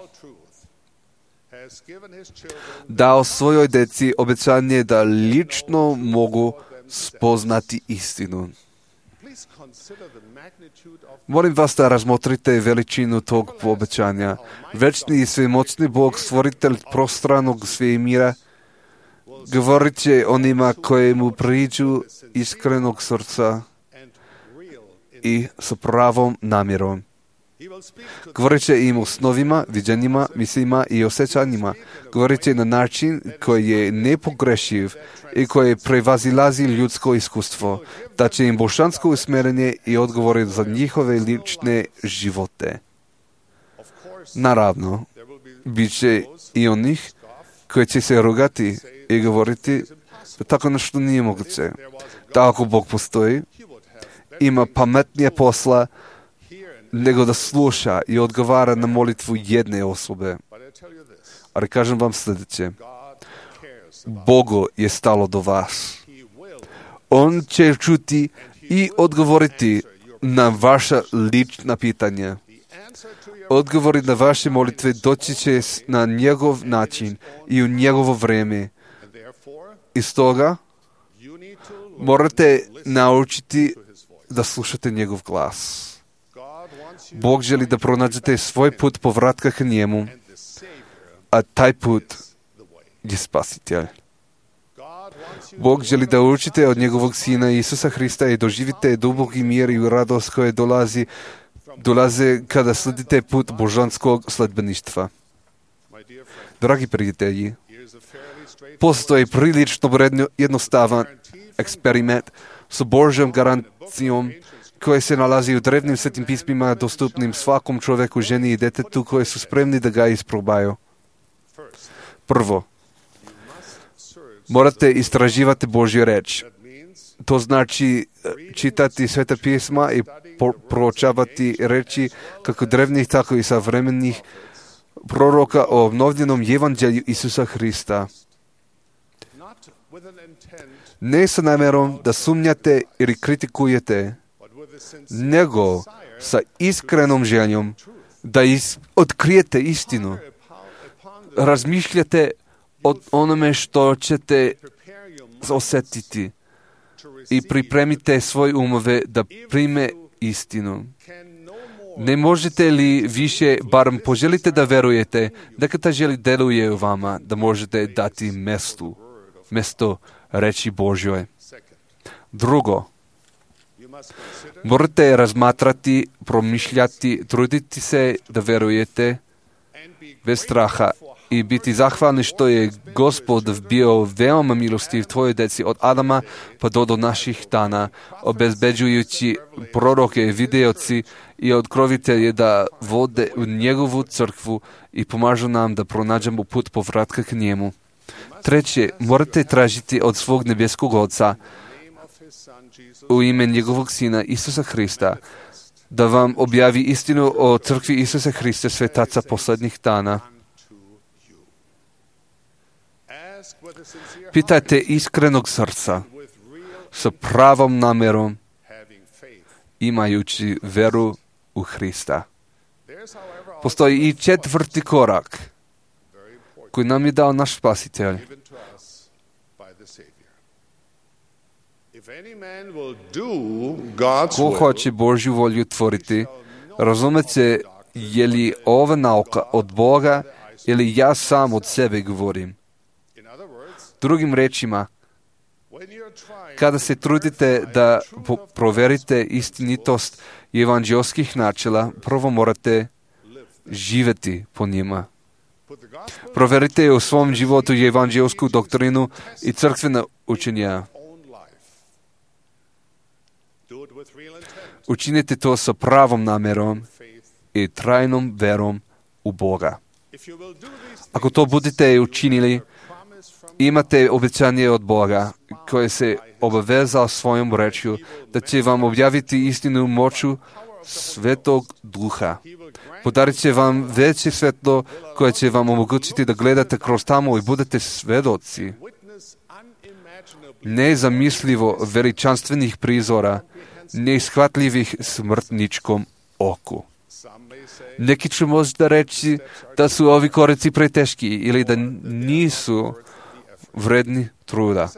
dao svojoj deci obećanje da lično mogu spoznati istinu. Molim vas da razmotrite veličinu tog obećanja. Večni i svemoćni Bog, stvoritelj prostranog svemira, govorit će onima koje mu priđu iskrenog srca i s pravom namjerom. Govorit će im o snovima, viđenjima, mislima i osjećanjima. Govorit će na način koji je nepogrešiv i koji prevazilazi ljudsko iskustvo. Da će im božansko usmjerenje i odgovore za njihove lične živote. Naravno, bit će i onih koji će se rugati i govoriti da tako nešto nije moguće. Da ako Bog postoji, ima pametnije posla nego da sluša i odgovara na molitvu jedne osobe. Ali kažem vam sljedeće. Bogu je stalo do vas. On će čuti i odgovoriti na vaša lična pitanja. Odgovori na vaše molitve doći će na njegov način i u njegovo vrijeme. I stoga morate naučiti da slušate njegov glas. Bog želi da pronađete svoj put povratka k njemu, a taj put je spasitelj. Bog želi da učite od njegovog sina Isusa Hrista i doživite duboki mir i radost koje dolaze kada sledite put božanskog sledbeništva. Dragi prijatelji, postoji prilično jednostavan eksperiment s Božjom garancijom koje se nalazi u drevnim svetim pismima dostupnim svakom čovjeku, ženi i detetu koji su spremni da ga isprobaju. Prvo, morate istraživati Božju reč. To znači čitati sveta pisma i proučavati reči kako drevnih, tako i savremenih proroka o obnovljenom evanđelju Isusa Hrista. Ne sa namjerom da sumnjate ili kritikujete, nego sa iskrenom željom da otkrijete istinu. Razmišljate o onome što ćete osjetiti i pripremite svoje umove da prime istinu. Ne možete li više, barem poželite da verujete, neka ta želja deluje u vama, da možete dati mjesto reči Božjoj. Drugo, morate razmatrati, promišljati, truditi se da verujete bez straha i biti zahvalni što je Gospod bio veoma milostiv tvojoj deci od Adama pa do naših dana, obezbeđujući proroke, videoci i otkrovitelje da vode u njegovu crkvu i pomažu nam da pronađemo put povratka k njemu. Treće, morate tražiti od svog nebeskog Oca u ime njegovog Sina Isusa Hrista da vam objavi istinu o crkvi Isusa Hrista, svetaca posljednjih dana. Pitajte iskrenog srca, sa pravom namjerom, imajući veru u Hrista. Postoji i četvrti korak, koji nam je dao naš Spasitelj. Ko hoće Božju volju tvoriti, razumet će je li ova nauka od Boga ili ja sam od sebe govorim. Drugim rečima, kada se trudite da proverite istinitost evanđelskih načela, prvo morate živjeti po njima. Proverite u svom životu evanđelsku doktrinu i crkvena učenja. Učinite to sa pravom namerom i trajnom verom u Boga. Ako to budete učinili, imate obećanje od Boga koje se obavezao svojom rečju da će vam objaviti istinu moću Svetog Duha. Podarit će vam veće svetlo koje će vam omogućiti da gledate kroz tamo i budete svedoci nezamislivo veličanstvenih prizora, neishvatljivih smrtničkom oku. Neki će možda reći da su ovi koraci preteški ili da nisu vredni truda.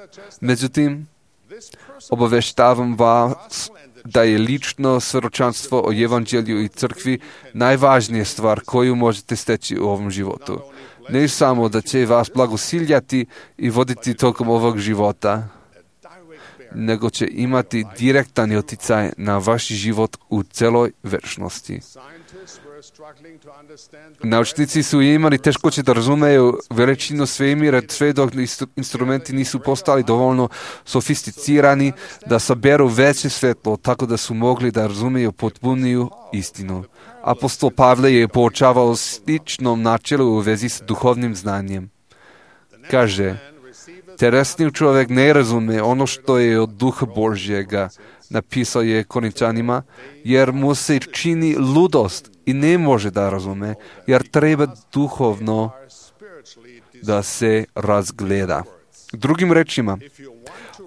Međutim, obaveštavam vas da je lično svjedočanstvo o evanđelju i crkvi najvažnija stvar koju možete steći u ovom životu. Ne samo da će vas blagosiljati i voditi tokom ovog života, nego će imati direktan utjecaj na vaš život u celoj večnosti. Naučnici su imali teškoće da razumeju veličinu svemira sve dok instrumenti nisu postali dovoljno sofisticirani da saberu veće svetlo, tako da su mogli da razumiju potpuniju istinu. Apostol Pavle je poučavao sličnom načelu u vezi s duhovnim znanjem. Kaže, telesni čovjek ne razume ono što je od Duha Božjega, napisao je Korinčanima, jer mu se čini ludost i ne može da razume, jer treba duhovno da se razgleda. Drugim rečima,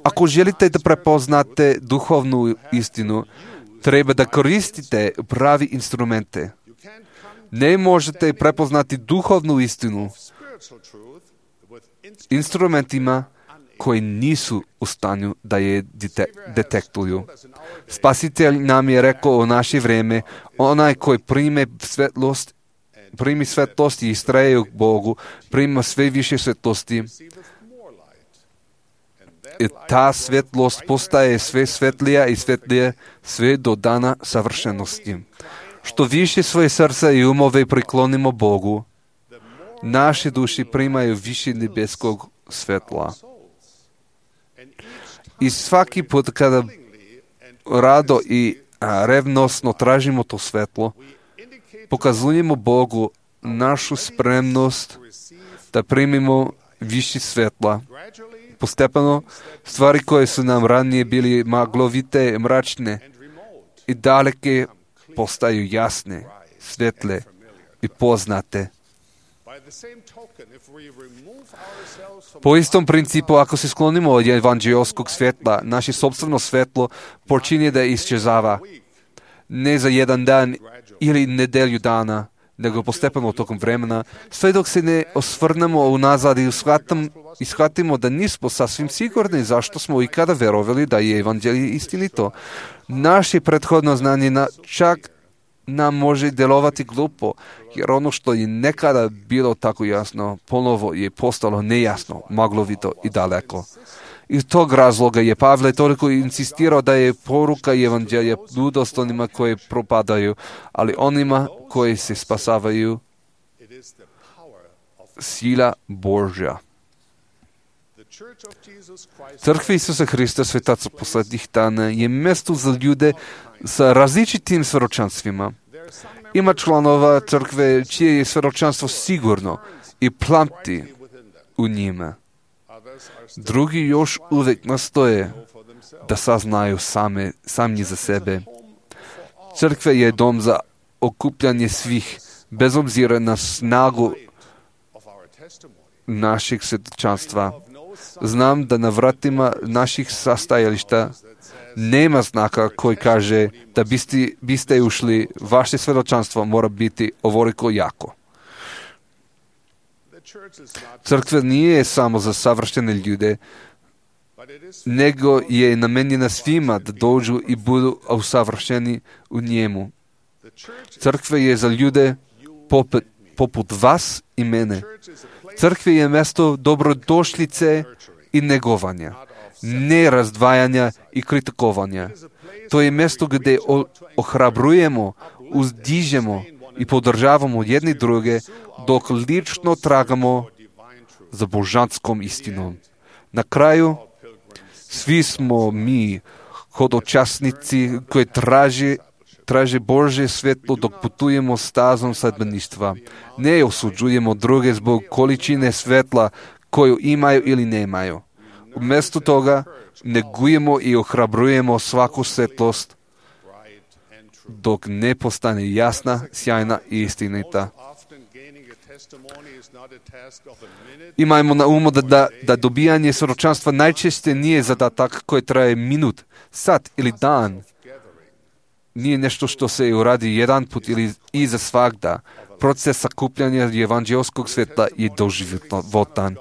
ako želite da prepoznate duhovnu istinu, treba da koristite pravi instrumente. Ne možete prepoznati duhovnu istinu instrumentima koji nisu u stanju da je detektuju. Spasitelj nam je rekao u naše vrijeme, onaj koji primi svetlost i istraje u Bogu, prima sve više svetlosti. I ta svetlost postaje sve svetlija i svetlije sve do dana savršenosti. Što više svoje srca i umove priklonimo Bogu, naše duši primaju više nebeskog svetla. I svaki put kada rado i revnosno tražimo to svetlo, pokazujemo Bogu našu spremnost da primimo više svetla. Postepeno, stvari koje su nam ranije bili maglovite, mračne i daleke postaju jasne, svetle i poznate. Po istom principu, ako se sklonimo od evanđelskog svetla, naše sopstveno svetlo počinje da isčezava. Ne za jedan dan ili nedelju dana, nego postepeno tokom vremena, sve dok se ne osvrnemo unazad i shvatimo da nismo sasvim sigurni zašto smo ikada verovali da je evanđelje istinito. Naše prethodno znanje čak nam može djelovati glupo, jer ono što je nekada bilo tako jasno, ponovo je postalo nejasno, maglovito i daleko. Iz tog razloga je Pavle toliko insistirao da je poruka evanđelja ludost onima koji propadaju, ali onima koji se spasavaju sila Božja. Crkva Isusa Hrista, svetaca poslednjih dana, je mjesto za ljude sa različitim svjedočanstvima. Ima članova crkve čije je svjedočanstvo sigurno i plamti u njima. Drugi još uvijek nastoje da saznaju sami za sebe. Crkva je dom za okupljanje svih, bez obzira na snagu našeg svjedočanstva. Znam da na vratima naših sastajališta nema znaka koji kaže da biste ušli, vaše svjedočanstvo mora biti ovoliko jako. Crkva nije samo za savršene ljude, nego je namenjena svima da dođu i budu usavršeni u njemu. Crkva je za ljude poput vas i mene. Crkva je mjesto dobrodošlice i negovanja, ne razdvajanja i kritikovanja. To je mjesto gdje ohrabrujemo, uzdižemo i podržavamo jedni druge dok lično tragamo za božanskom istinom. Na kraju, svi smo mi hodočasnici koji traže Božje svjetlo dok putujemo stazom sledbeništva. Ne osuđujemo druge zbog količine svjetla koju imaju ili nemaju. Umjesto toga negujemo i ohrabrujemo svaku svjetlost dok ne postane jasna, sjajna i istinita. Imajmo na umu da dobijanje svjedočanstva najčešće nije zadatak koji traje minut, sat ili dan. Nije nešto što se uradi jedan put ili i za svagda. Proces sakupljanja evanđelskog svjetla je doživotan.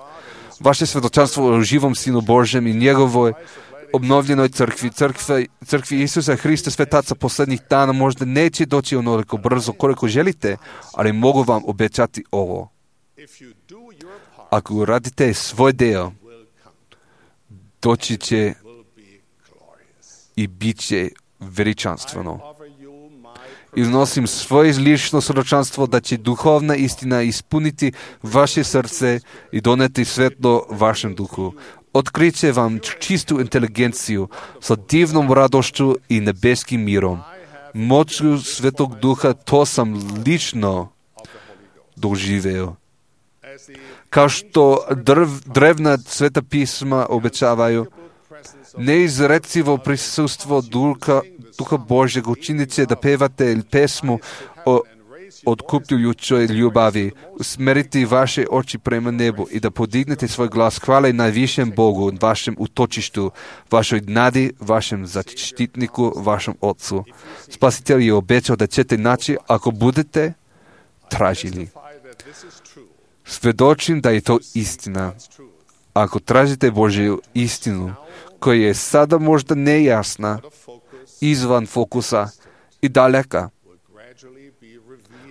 Vaše svjedočanstvo o živom Sinu Božjem i njegovoj obnovljenoj crkvi Isusa Hrista svetaca posljednjih dana možda neće doći onoliko brzo koliko želite, ali mogu vam obećati ovo. Ako uradite svoj dio, doći će i bit će veličanstveno. Iznosim svoje lično svjedočanstvo da će duhovna istina ispuniti vaše srce i doneti svetlo vašem duhu. Otkriće vam čistu inteligenciju sa divnom radošću i nebeskim mirom. Moću Svetog Duha to sam lično doživeo. Kao što drevna sveta pisma obećavaju, neizrecivo prisustvo Duha Božjeg učinit će da pevate pesmu o otkupljujućoj ljubavi, usmeriti vaše oči prema nebu i da podignete svoj glas hvale najvišem Bogu, vašem utočištu, vašoj nadi, vašem zaštitniku, vašem Otcu. Spasitelj je obećao da ćete naći ako budete tražili. Svjedočim da je to istina. Ako tražite Božju istinu, koja je sada možda nejasna, izvan fokusa i daleka,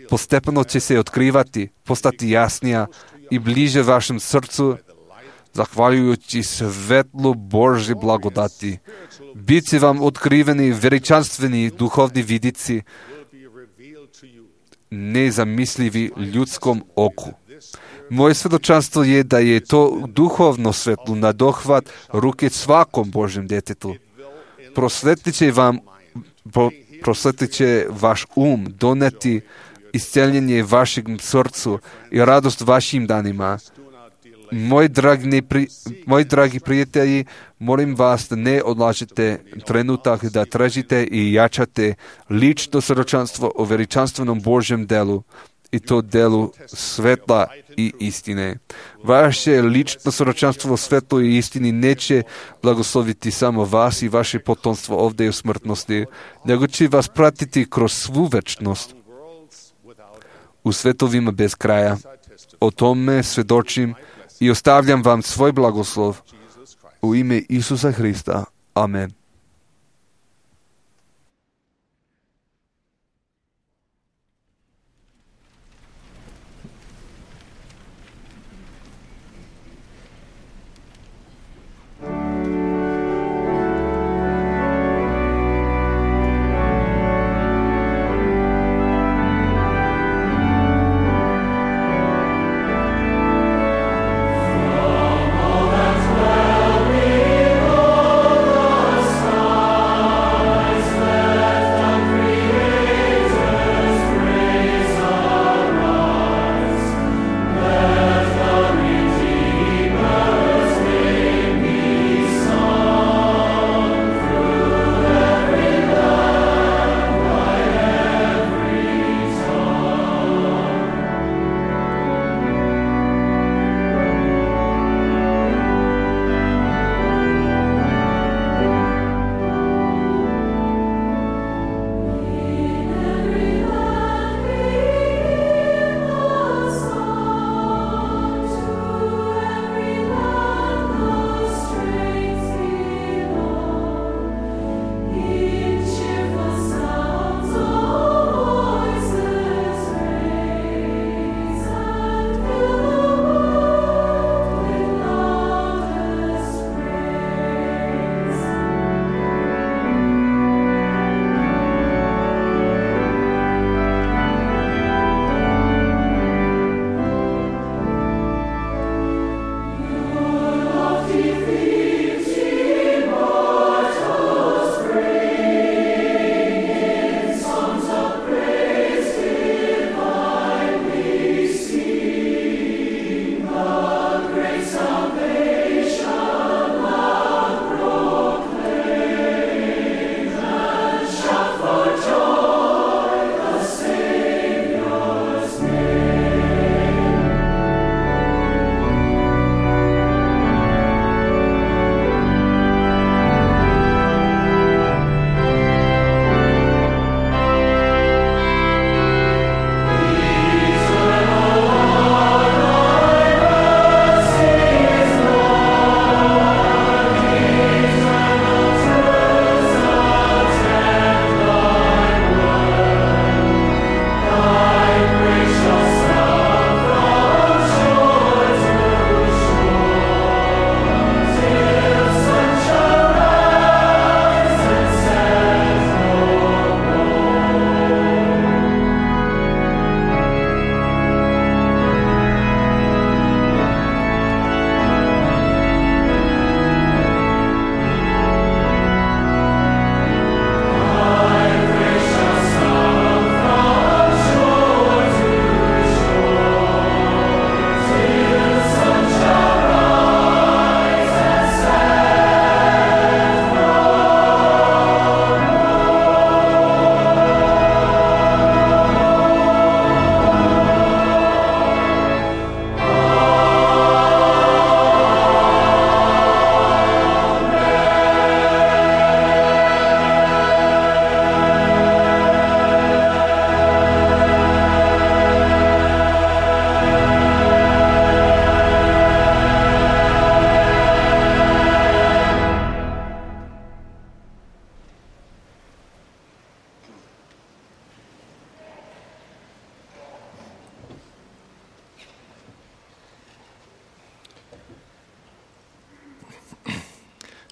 postepeno će se otkrivati, postati jasnija i bliže vašem srcu, zahvaljujući svetlu Božje blagodati. Bit će vam otkriveni veličanstveni duhovni vidici, nezamislivi ljudskom oku. Moje svjedočanstvo je da je to duhovno svetlo na dohvat ruke svakom Božjem djetetu. Prosvetlit će vaš doneti isceljenje vašem srcu i radost vašim danima. Moji dragi prijatelji, molim vas da ne odlažete trenutak da tražite i jačate lično svjedočanstvo o veličanstvenom Božjem delu i to delu svetla i istine. Vaše lično svjedočanstvo o svetlu i istini neće blagosloviti samo vas i vaše potomstvo ovdje u smrtnosti, nego će vas pratiti kroz svu večnost u svetovima bez kraja. O tome svjedočim i ostavljam vam svoj blagoslov u ime Isusa Hrista. Amen. All that dwell below us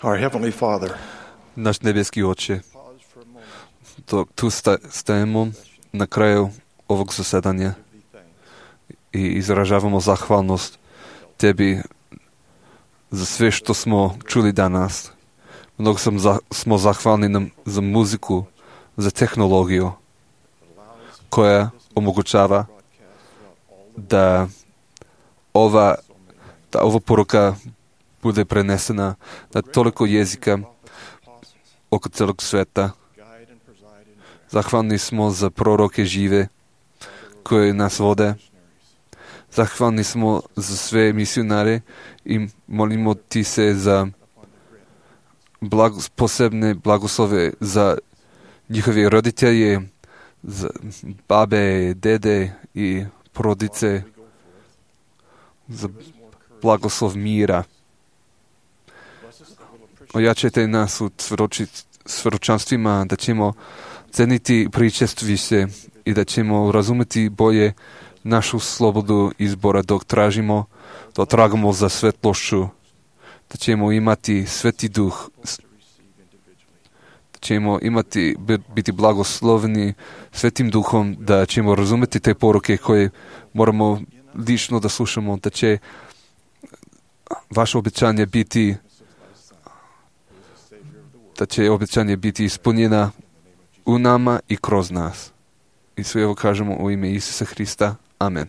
Our Heavenly Father, Наш небески Отче, tu stajemo na kraju ovog zasedanja i izražavamo zahvalnost Tebi za sve što smo čuli danas. Mnogo smo zahvalni za muziku, za tehnologiju koja omogućava da ova poruka bude prenesena na toliko jezika oko celog sveta. Zahvalni smo za proroke žive koji nas vode. Zahvalni smo za sve misionare i molimo Ti se za posebne blagoslove za njihove roditelje, za babe, dede i porodice, za blagoslov mira. Ojačajte nas u svjedočanstvima da ćemo ceniti pričestvište i da ćemo razumeti bolje našu slobodu izbora dok tragamo za svetlošću, da ćemo imati Sveti Duh, da ćemo biti blagosloveni Svetim Duhom, da ćemo razumeti te poruke koje moramo lično da slušamo, da će vaše obećanje biti ispunjena u nama i kroz nas. I sve ovo kažemo u ime Isusa Hrista. Amen.